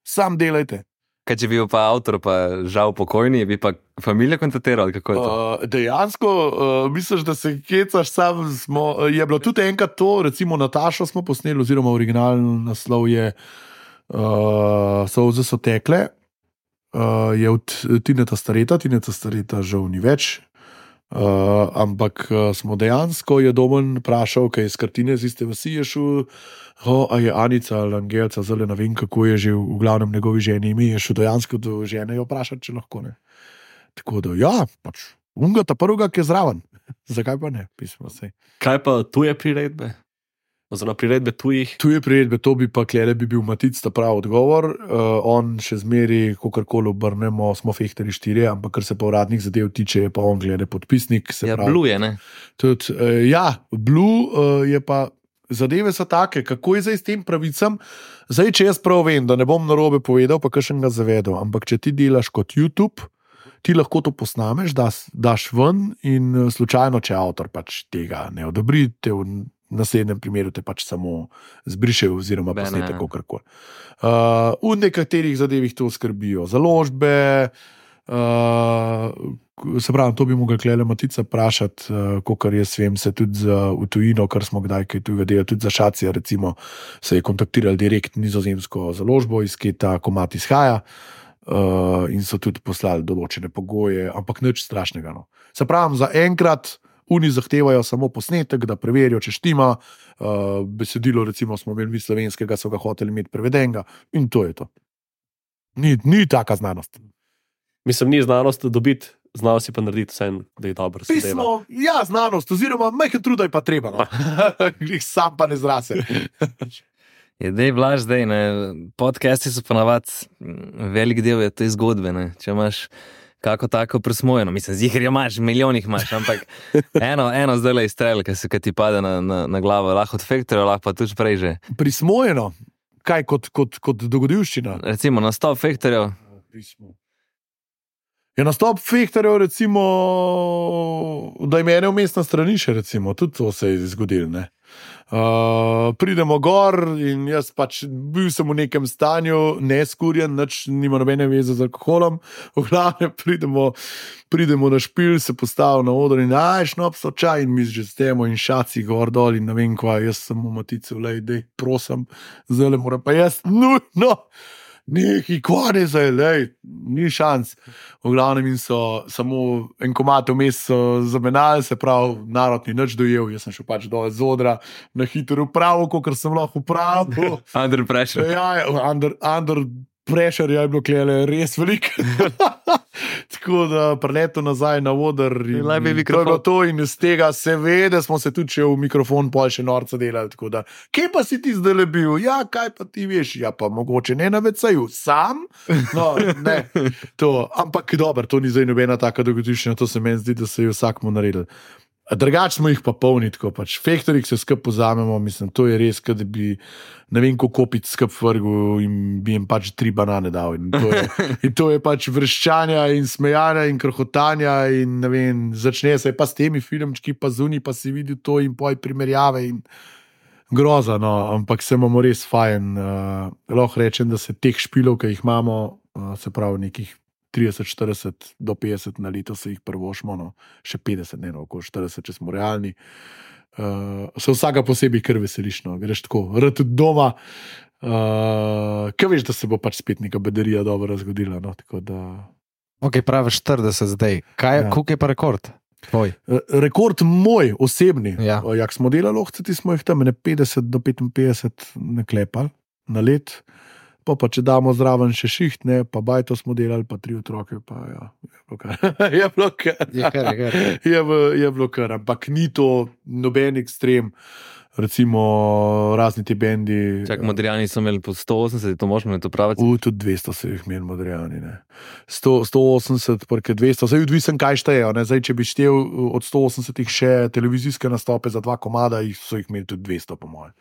sam delajte. Kaj če bil pa avtor, pa žal pokojni, bi pa familija kontaktiral, kako je to? Uh, dejansko, uh, misliš, da se kecaš sam, smo, je bilo tudi enkrat to, recimo Natašo smo posneli, oziroma originalni naslov je uh, Solze so tekle, uh, je od Tineta Stareta, Tineta Stareta žal ni več, uh, ampak uh, smo dejansko, je Domen vprašal, kaj iz kartine z iste vasi je šel, oh, a je Anica ali Angelca, zelo ne vem, kako je že v glavnem njegovi ženi ime, je šel dejansko do žene jo vprašati, če lahko ne. Tako da, ja, pač, unga ta prvega, ki je zraven. Zakaj pa ne, pismo se. Kaj pa tuje priredbe? Oziroma priredbe tujih? Tuje priredbe, to bi pa klede bi bil Matic ta prav odgovor. Uh, on še zmeri, kakorkoli obrnemo, smo fehteri štirje, ampak kar se pa uradnih zadev tiče, je pa on glede podpisnik. Se Ja, pravi, Blue je, ne? Tudi, uh, ja, Blue uh, je pa, zadeve so take, kako je zdaj s tem pravicam. Zdaj, če jaz prav vem, da ne bom narobe povedal, pa kakšen ga zavedel, ampak če ti delaš kot YouTube, ti lahko to posnameš, daš, daš ven in uh, slučajno, če avtor pač tega ne odobri, te v naslednjem primeru te pač samo zbriše oziroma Bene, posnete ja. kakorkoli. Uh, v nekaterih zadevih to skrbijo založbe, uh, se pravi, to bi mogel Klele Matica vprašati, uh, kakor jaz vem, se tudi za v tujino, kar smo kdaj kaj tujega delali, tudi za Šacija, recimo, se je kontaktirali direkt nizozemsko založbo, iz kje ta komad izhaja, uh, in so tudi poslali določene pogoje, ampak nič strašnega. No. Se pravi, za enkrat oni zahtevajo samo posnetek, da preverijo, če štima, uh, besedilo, recimo, smo imeli mi slovenskega, so ga hoteli imeti prevedenega, in to je to. Ni, ni taka znanost. Mislim, ni znanost dobiti, znal si pa narediti vse, da je dobro. Pismo, ja, znanost, oziroma majhen truda je pa treba. No. Sam pa ne zrase. Je dej blaž zdaj, ne? Podcasti so ponavadi, velik del je te zgodbe, ne? Če imaš kako tako presmojeno, mislim, zihar jo imaš, milijonih imaš, ampak eno, eno zdaj le izstrel, ki se ti pade na, na, na glavo, lahko od Factorja, lahko pa tudi prej že. Prismojeno? Kaj, kot, kot, kot dogodivščina? Recimo, nastop Factorja. Pismo. Je nastop Fehterjev, recimo, da je mene vmes na stranišče, recimo, tudi to se je zgodilo, ne. Uh, pridemo gor in jaz pač bil sem v nekem stanju, neskurjen, nič nima nobene veze z alkoholom, v glavnem pridemo, pridemo na špil, se postavil na oder in aj, šnop so čaj in mi že stemo in šaci gor dol in ne vem kva, jaz sem v Matici, vlej, dej, prosim, zdaj le moram pa jaz, nujno, neki kvane zdaj, lej, ni šans. V glavnem in so samo en komad vmes so zamenjali, se pravi, narod ni nič dojel, jaz sem šel pač dol z odra, na hitro upravo, kakor sem lahko upravil. Under pressure. Ja, under, under pressure je bilo klele res veliko. Tako da preleto nazaj na oder in, Laj bi in to je mikrofon. bilo to in iz tega seveda smo se tudi še v mikrofon pol še norca delali, tako da, kje pa si ti zdaj le bil? Ja, kaj pa ti veš? Ja, pa mogoče ne na vecaju, sam? No, ne, to, ampak dobro, to ni zdaj nobena taka dogodivščina, to se meni zdi, da se je vsakmu naredil. Drugač smo jih pa polni, tako pač. Fektorjih se skup pozamemo, mislim, to je res, da bi ne vem, koliko kopic skup vrgu in bi jim pač tri banane dal. In to je, in to je pač vrščanja in smejanja in krohotanja in ne vem, začne se pa s temi filmčki, pa zunaj pa si videl to in poj primerjave in groza, no, ampak se imamo res fajn. Uh, lahko rečem, da se teh špilov, ki jih imamo, uh, se pravi nekih trideset, štirideset do petdeset na leto se jih prvošmo, no, še petdeset, ne no, okoli štirideset, če smo realni. Uh, se vsaka posebej kar veseliš, no, greš tako, rad tudi doma, uh, kaj veš, da se bo pač spet neka bedarija dobro razgodila, no, tako da... Ok, pravi štirideset zdaj. Kaj, ja. Koliko je pa rekord? Tvoj? Rekord moj, osebni. Ja. Jak smo delali ohceti, smo jih tam ne petdeset do petinpetdeset naklepali na let. Pa, pa če damo zraven še šiht, ne, pa bajto smo delali, pa tri otroke, pa ja, je bilo kar. je bilo kar. Je kar, je kar. je, je bilo kar, ampak ni to noben ekstrem, recimo razni ti bendi. Čak, Modrijani so imeli po sto osemdeset, to možemo to praviti? U, tudi dvesto so jih imeli Modrijani, ne. sto, sto osemdeset, porque dvesto, zdaj odvisen kaj štejejo, ne, zdaj, če bi štel od sto osemdesetih še televizijske nastope za dva komada, so jih imeli tudi dvesto, po mojem.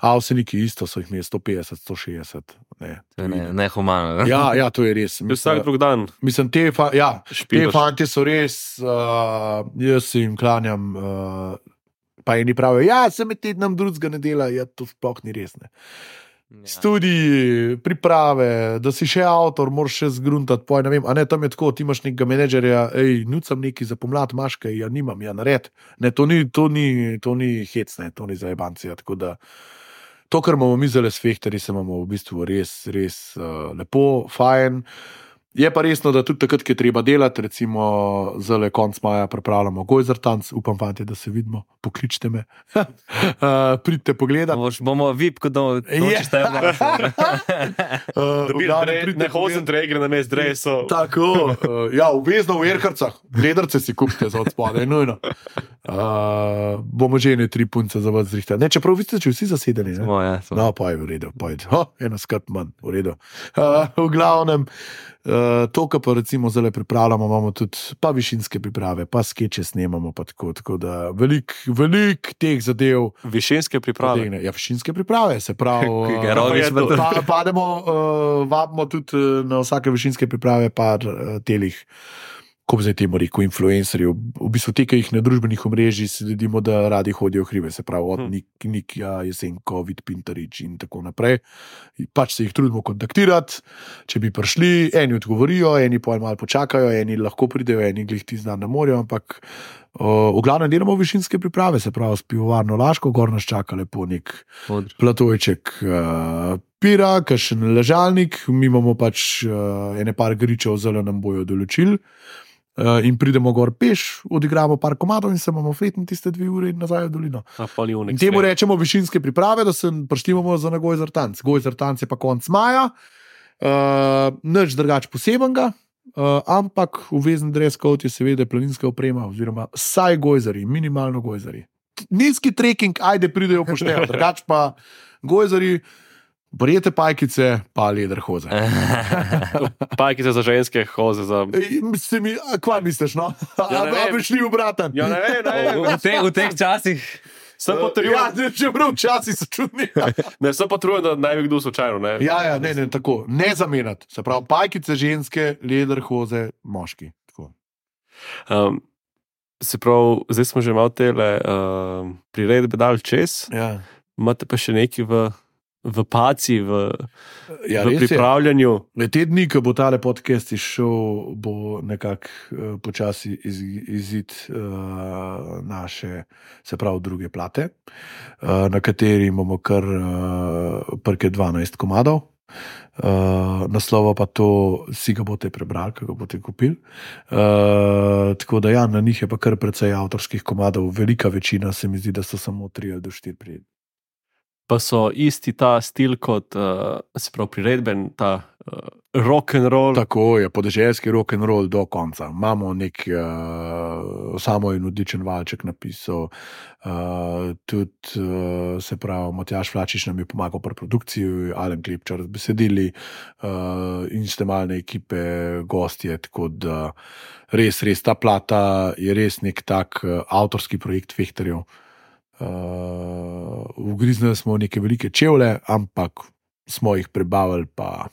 A vseniki isto so jih imeli sto petdeset, sto šestdeset. Ne, ne, ne humano. Ja, ja, to je res. Mislim, vsak drug dan. Mislim, te, fa, ja, te fanti so res, uh, jaz se jim klanjam, uh, pa eni pravijo, ja, se med tednom drugega ne dela, ja, to sploh ni res. Ne. Ja. Studiji, priprave, da si še avtor, moraš še zgruntati, poj, ne vem, a ne, tam je tako, ti imaš nekega menedžerja, ej, nucam neki za pomlad, imaš kaj, ja, nimam, ja, nared. Ne, to ni, to ni, to ni hec, ne, to ni zajebancija, tako da to, kar imamo mi zdaj s fehterji, se imamo v bistvu res, res uh, lepo, fajn. Je pa resno, da tudi takrat, ki je treba delati, recimo zdaj konc maja pripravljamo Gojzertanc, upam, fanti, da se vidimo, pokličite me, uh, pridite pogledat. Boš, bomo vip, ko do noči štajamo. Ne hozen tre igre na mest dreso. Tako, uh, ja, obvezno v Erkarcah, gledarce si kupite za odspade, nujno. Uh, bomo že ene tri punce za vas zrihtali. Ne, čeprav vi ste če vsi zasedeni, ne? Smo, ja. Smo. No, pa je v redu, pa je, oh, ena skrb manj, v redu. Uh, v glavnem, Uh, to, kar pa recimo zdaj pripravljamo, imamo tudi pa višinske priprave, pa skeče snemamo, pa tako, tako da velik, velik teh zadev. Višinske priprave? Potegne. Ja, višinske priprave, se pravi, uh, pa, pademo, uh, vabimo tudi na vsake višinske priprave par uh, telih, ko bi zdaj temu rekel, influencerjev, v bistvu te, ki jih na družbenih omrežjih sledimo, da radi hodijo hribe, se pravi od Nik, Nikja, Jesenko, Vid Pintarič in tako naprej. Pač se jih trudimo kontaktirati, če bi prišli, eni odgovorijo, eni pol malo počakajo, eni lahko pridejo, eni glih ti znan na morju, ampak uh, v glavnem delamo višinske priprave, se pravi s pivovarno Laško, gor nas čaka lepo nek platojček uh, pira, kakšen ležalnik, mi imamo pač uh, ene par gričev, zelo nam bojo določili. Uh, in pridemo gor peš, odigramo par komadov in se imamo fletni tiste dve ure in nazaj v dolino. In temu rečemo višinske priprave, da se prištimamo za na Gojzertanc. Gojzertanc je pa konc maja, uh, nič drugač posebenega, uh, ampak obvezen dress code je seveda planinska oprema, oziroma saj gojzari, minimalno gojzari. Nizki trekking, ajde pridejo pošteno, drugač pa gojzari, Brijete pajkice, pa leder hoze. Pajkice za ženske, hoze za... Mi, kva misliš, no? Ja, a bi šli v bratan? Ja, ne, ne, ne. V, te, v teh časih... Sem potrujen. Ja, če prav časi so čudni. Ne, sem potrujen, da naj bi kdo slučajno, ne? Ja, ja, ne, ne, tako. Ne zamenjati. Se pravi, pajkice ženske, leder hoze, moški. Tako. Um, se pravi, zdaj smo že malo tele uh, priredbe dali čez. Ja. Imate pa še neki v... v paci, v, ja, v pripravljanju. Je. Te dni, ko bo tale podcast izšel, bo nekako uh, počasi iz, izid uh, naše, se pravi, druge plate, uh, na kateri imamo kar uh, prke dvanajst komadov. Uh, naslova pa to, si ga boste prebrali, ko ga boste kupili. Uh, tako da ja, na njih je pa kar precej avtorskih komadov, velika večina se mi zdi, da so samo tri ali do štiri prijeti. pa so isti ta stil kot, uh, se pravi, priredben, ta uh, rock and roll. Tako je, podeželski rock and roll do konca. Imamo nek uh, samo in odličen valček napisal, uh, tudi uh, se pravi, Matjaž Flačič nam je pomagal pri produkciji, Alen Klepčar z besedili, uh, instrumentalne ekipe, gostje, tako da res, res ta plata je res nek tak uh, avtorski projekt Fehterjev. Uh, ugriznili smo neke velike čevlje, ampak smo jih prebavili, pa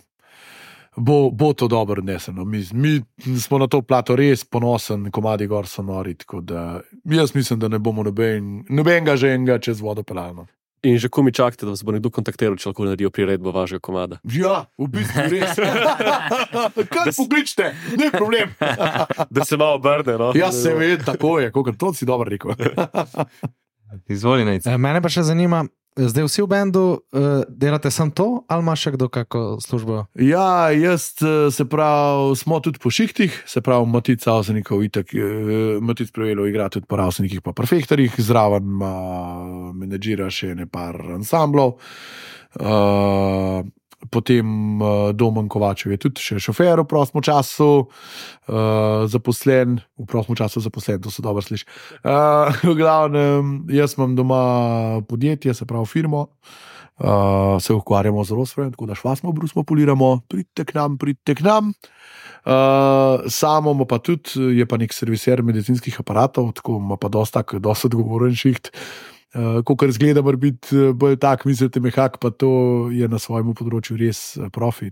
bo, bo to dobro odneseno. Mi, mi smo na to plato res ponosen, komadi gor so nori, tako da jaz mislim, da ne bomo noben, nobenega že enega čez vodo pelali. In že ko mi čakate, da vas bo nekdo kontaktiral, če lahko naredijo priredbo vašega komada? Ja, v bistvu res. Kaj pokličite, ne problem. Da se malo obrne, no? Ja, se ve, tako je, kakor to si dobro rekel. Izvoli, Nejc. Mene pa še zanima, zdaj vsi v bendu uh, delate samo to, ali ima še kdo kako službo? Ja, jaz se pravi, smo tudi po šihtih, se pravi, Matic Avsenikov itak, Matic Prevelo igra tudi po Avsenikih pa pri Fehterjih, zraven ima menedžira še ne par ansamblov. Uh, Potem uh, Domen Kovačev je tudi še šofer v prostem času, uh, zaposlen, v prostem času zaposlen, to se dobro sliši. Uh, v glavnem, jaz imam doma podjetje, se pravi firmo, uh, se ukvarjamo z rozvojem, tako da švasmo, brusmo, poliramo, pridite k nam, pridite k nam. Uh, samo pa tudi, je pa nek serviser medicinskih aparatov, tako ima pa dosta, dosta odgovoren šiht. Uh, Kokor zgleda, mora biti bolj tak, mislite, mehak, pa to je na svojem področju res profi.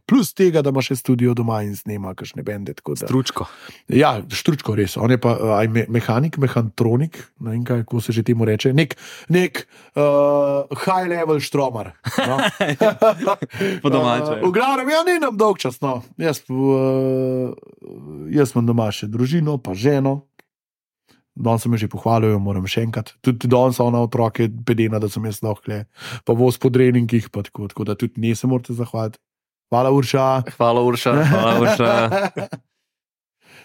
Plus tega, da ima še studio doma in snema kakšne bende. Da, Stručko. Ja, Štručko res. On je pa aj me, mehanik, mehantronik, ne vem kaj, kako se že temu reče. Nek, nek uh, high level štromar. No? Po domače. Uh, v glavnem, ja, ni nam dolg čas. No. Jaz, uh, jaz imam doma še družino, pa ženo. Danes se me že pohvalijo, moram še enkrat. Tudi danes so ona otroke pedena, da sem jaz lahko, pa voz po treningih, pa tako, tako da tudi ne se morate zahvaliti. Hvala, Urša. Hvala, Urša. Hvala, Urša.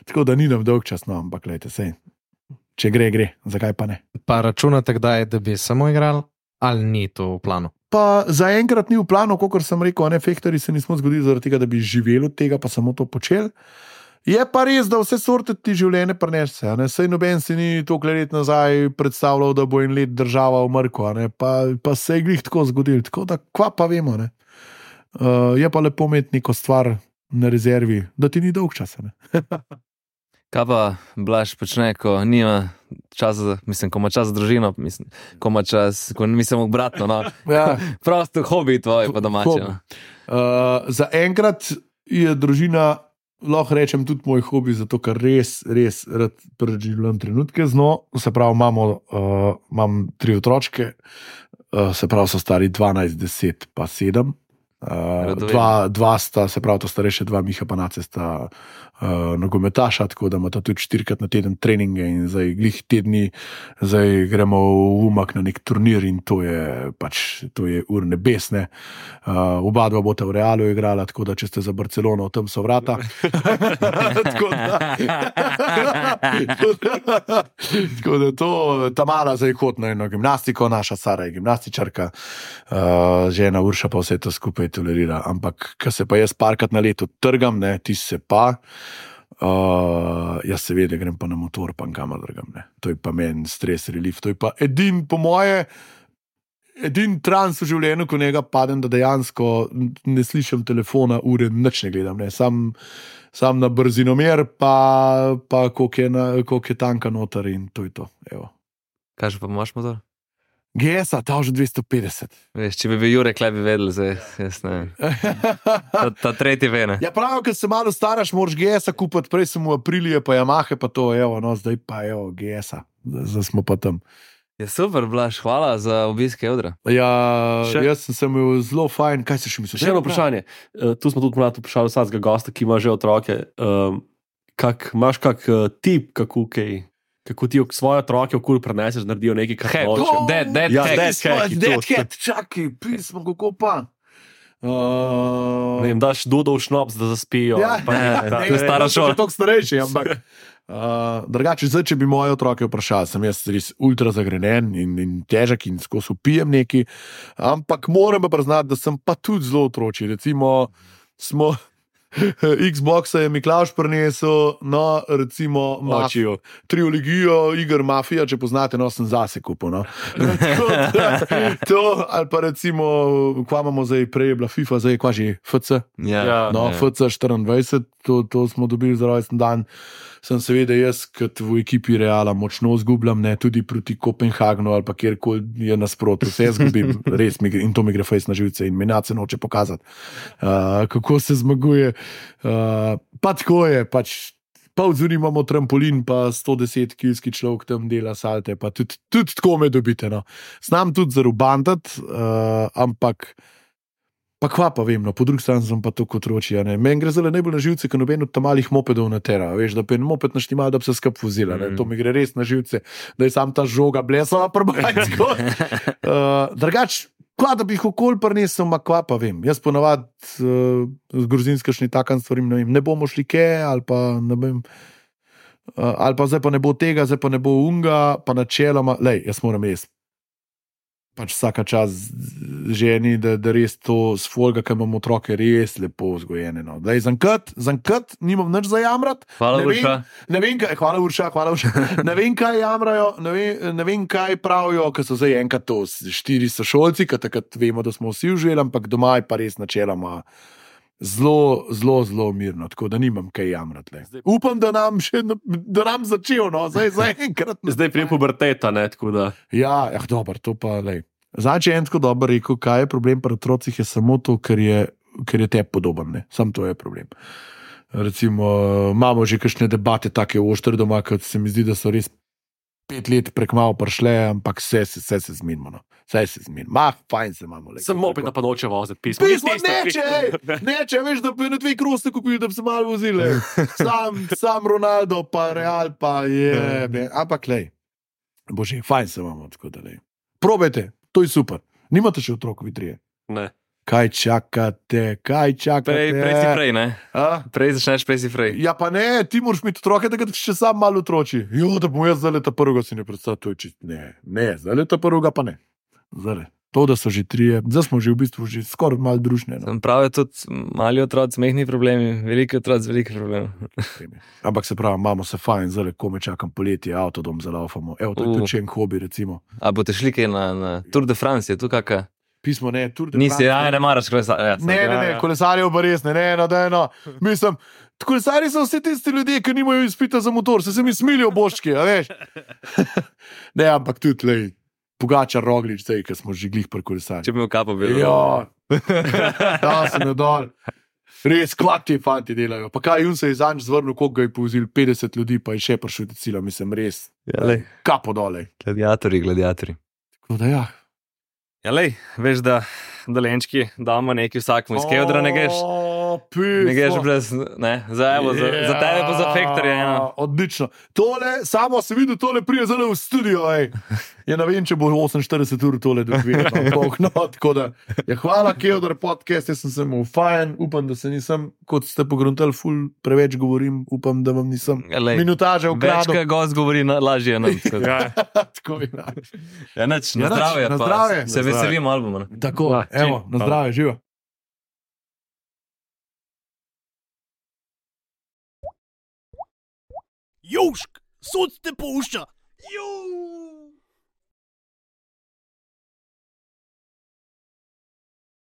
Tako da ni nam dolg čas, no, ampak gledajte, sej. Če gre, gre, zakaj pa ne. Pa računate kdaj, da bi samo igral, ali ni to v planu? Pa zaenkrat ni v planu, kakor sem rekel, ne, Fehterji se nismo zgodili zaradi tega, da bi živeli od tega, pa samo to počeli. Je pa res, da vse sorte ti življenje prenese. Sej noben si ni toliko let nazaj predstavljal, da bo en let država umrko, pa, pa se je glih tako zgodil. Tako da, kva pa vemo. Ne? Uh, je pa lepo imeti neko stvar na rezervi, da ti ni dolg časa. Kaj pa Blaž počne, ko nima časa, mislim, ko ima čas za družino, mislim, ko ima čas, ko mislim obratno, no. Ja. Prosto hobi tvoj pa domače. No. Uh, za enkrat je družina, lahko rečem, tudi moj hobi, zato ker res, res rad preživljam trenutke z njo. Se pravi, imamo, uh, imam tri otročke, uh, se pravi, so stari dvanajst, deset pa sedem. Uh, dva, dva sta, se pravi, to starejše dva, Miha pa Nace sta uh, nogometaša, tako da imata tudi štirikrat na teden treninge in zdaj glih tedni, zdaj gremo v Umag na nek turnir in to je pač, to je ur nebesne. Uh, oba dva bota v Realu igrala, tako da če ste za Barcelono, tam so vrata. Tako da tako da to, ta mala zdaj hod na eno gimnastiko, naša Sara je gimnastičarka, uh, žena Urša pa vse to skupaj tolerira, ampak ko se pa jaz parkrat na leto trgam, ne, ti se pa, uh, jaz seveda grem pa na motor, pa kamor drgam, ne. To je pa meni stres relief, to je pa edin, po moje, edin trans v življenju, ko njega padem, da dejansko ne slišim telefona, ure, nič ne gledam, ne, sam, sam na brzinomer, pa, pa koliko je, na, koliko je tanka noter in to je to, evo. Kaj že pa imaš motor? G S-a, ta že dvesto petdeset. Veš, če bi bil Jurek, le bi vedel, zdaj, jaz ne. Ta, ta tretji vene. Ja, prav, ker se malo staraš, moraš G S-a kupiti, prej sem v Aprilije, pa Yamahe, pa to, evo, no, zdaj pa, evo, G S-a, zdaj smo pa tam. Ja, super, Blaž, hvala za obisk Eudra. Ja, Še- jaz sem se imel zelo fajn, kaj si še mislil? Še eno vprašanje. Uh, tu smo tudi mlad vprašali vsakega gosta, ki ima že otroke. Um, kak, imaš kak uh, tip, kako, kaj, kako ti svoje otroke okoli preneseš, naredijo nekaj, kar Hack. hoče? Dead, dead Ja, hack. dead hack, Dead to. Cat, čakaj, pismo, kako pa? Uh, Ne vem, daš dudov šnops, da zaspijo. Ja, pa ne, ne, da- ne, to je stara so šola. že toliko starejši, ampak Uh, drugače, zdaj, če bi moje otroke vprašali, sem jaz res ultra zagrenjen in, in težek in skozi upijem neki, ampak moram pa priznati, da sem pa tudi zelo otroči. Recimo, smo Xboxa je Miklauš prinesel, no, recimo, Mafijo, trilogijo iger Mafija, če poznate, no, sem zase kupil. No. To, ali pa recimo, kva imamo zdaj, prej je bila FIFA, zdaj je kva že F C. Ja, No, ja. F C štiriindvajset, to, to smo dobili za rojsten dan. Sem seveda jaz, kot v ekipi Reala, močno zgubljam, ne, tudi proti Kopenhagnu ali pa kjerkoli je nasprotno. Vse zgubim, res mi gre in to mi gre fejs na živce in mi nace noče pokazati, uh, kako se zmaguje. Uh, pa tako je, pač pol zunaj imamo trampolin, pa sto deset kilski človek tam dela salte, pa tudi, tudi tako me dobite. No. Znam tudi zarubantati, uh, ampak pa kva pa vem, no, po drugi strani sem pa to kot roči. Meni gre zelo najbolj na živce, ker noben od tam malih mopedov na tera. Veš, da pa en moped naštimal, da bi se skup vozila. Mm. To mi gre res na živce, da je sam ta žoga blesala prbanjsko. uh, drugač, kva da bi jih okol prinesel, ma kva pa vem. Jaz ponavad uh, z gruzinskašni takan stvarim, ne vem, ne bomo šli ke, ali pa ne vem, uh, ali pa zdaj pa ne bo tega, zdaj pa ne bo unga, pa načeloma, lej, jaz moram res. Pač vsaka čas ženi, da, da res to s folga, ki imamo otroke, res lepo vzgojene. No. Daj, zankrat, zankrat, nimam nič za jamrat. Hvala, Ne vem- Urša. Ne vem, kaj, hvala Urša, hvala Urša. Ne vem, kaj jamrajo, ne vem, ne vem kaj pravijo, ker so zdaj enkrat to s- štiri sošolci, ker takrat vemo, da smo vsi užili, ampak doma je pa res načeloma zelo, zelo, zelo mirno, tako da nimam kaj jamrati. le. Upam, da nam še, da nam začel, no, zdaj za enkrat. Zdaj prije puberteta, ne, tako da. Ja, ja dobro, to pa lej. Zdaj, če je en tako dobro rekel, kaj je problem pri otrocih, je samo to, ker je, ker je tebi podoben. Ne? Sam to je problem. Recimo, imamo že kakšne debate, take oštre doma, kot se mi zdi, da so res pet let prek malo prišle, ampak vse, vse, vse se zmenimo. No. Vse se zmenimo. Ma, fajn se imamo. lej. Sem moped, da pa noče voziti pismo. Pismo, neče, ej, neče, veš, da bi na dve kroste kupili, da bi se malo vozili. Sam, sam Ronaldo, pa Real, pa je. Ne. Ampak, lej, bože, fajn se imamo, tako da lej. Probajte, to je super. Nimate še otrok, vi trije. Ne. Kaj čakate, kaj čakate? Prej, prej si prej, ne? A? Prej začneš, prej si prej. Ja, pa ne, ti moraš imeti otroke, da ga še sam malo otroči. Jo, da bom jaz zdaj leta prvega si ne predstavljal, to je čist. Ne, ne, zdaj leta prvega pa ne. Zdaj, to, da so že trije, zdaj smo že v bistvu že skoraj malo družne. No. Sem pravi, tudi mali otroci, mehni problemi, veliki otroci, veliki problemi. Ampak se pravi, imamo se fajn, zdaj ko me čakam poletje, avtodom zalaufamo. Evo, to je Uh. tudi še en hobi, recimo. A boste šli kaj na, na Tour de France, je tu kakšna? Pismo ne, Tour de Nisi, France, ja, ne maraš kolesarja. Ja, Ne, ne, ne, kolesarjev pa res ne, ne, no, da eno. Mislim, kolesarji so vsi tisti ljudje, ki nimajo izpita za motor, se se mi smilijo boščki, a veš. Ne, ampak tudi, lej, Pogačar, Roglič, zdaj, ker smo že glih pri kolesarjih. Če bi imel kapo bil. Ja, da sem jo dol. Res, kvat ti fanti delajo. Pa kaj, jun se je zanj zvrnil, koliko ga je povzil, petdeset ljudi, pa je še prišel do cilja, mislim, res. Ja, lej, Kapo dole. gladiatorji, gladiatorji. Tako da ja. Ja, lej, veš, da dolenčki damo nekaj vsakmu iz Kevdra, ne greš. O, Ne greš pismo. brez, ne, za, evo, za, za tebe pa za Factory eno. Odlično. Tole, samo se vidi, tole prije zelo v studio. Ej. Ja, ne vem, če bo oseminštirideset ur tole doživel. No, tako da, ja, hvala, Kevdar podcast, jaz sem se mu fajn, upam, da se nisem, kot ste pogruntali, ful preveč govorim, upam, da vam nisem Ja, lej, minutaže Več, ukradel. kaj gost govori, na, lažje je nam. Tako je. Ja, nič, Ja, na nič, zdravje. na pa zdravje. Se Na veselimo albuma. ne. Tako, Ja, evo, čim. na zdravje, živo. Južk, sod te pušča. Južk.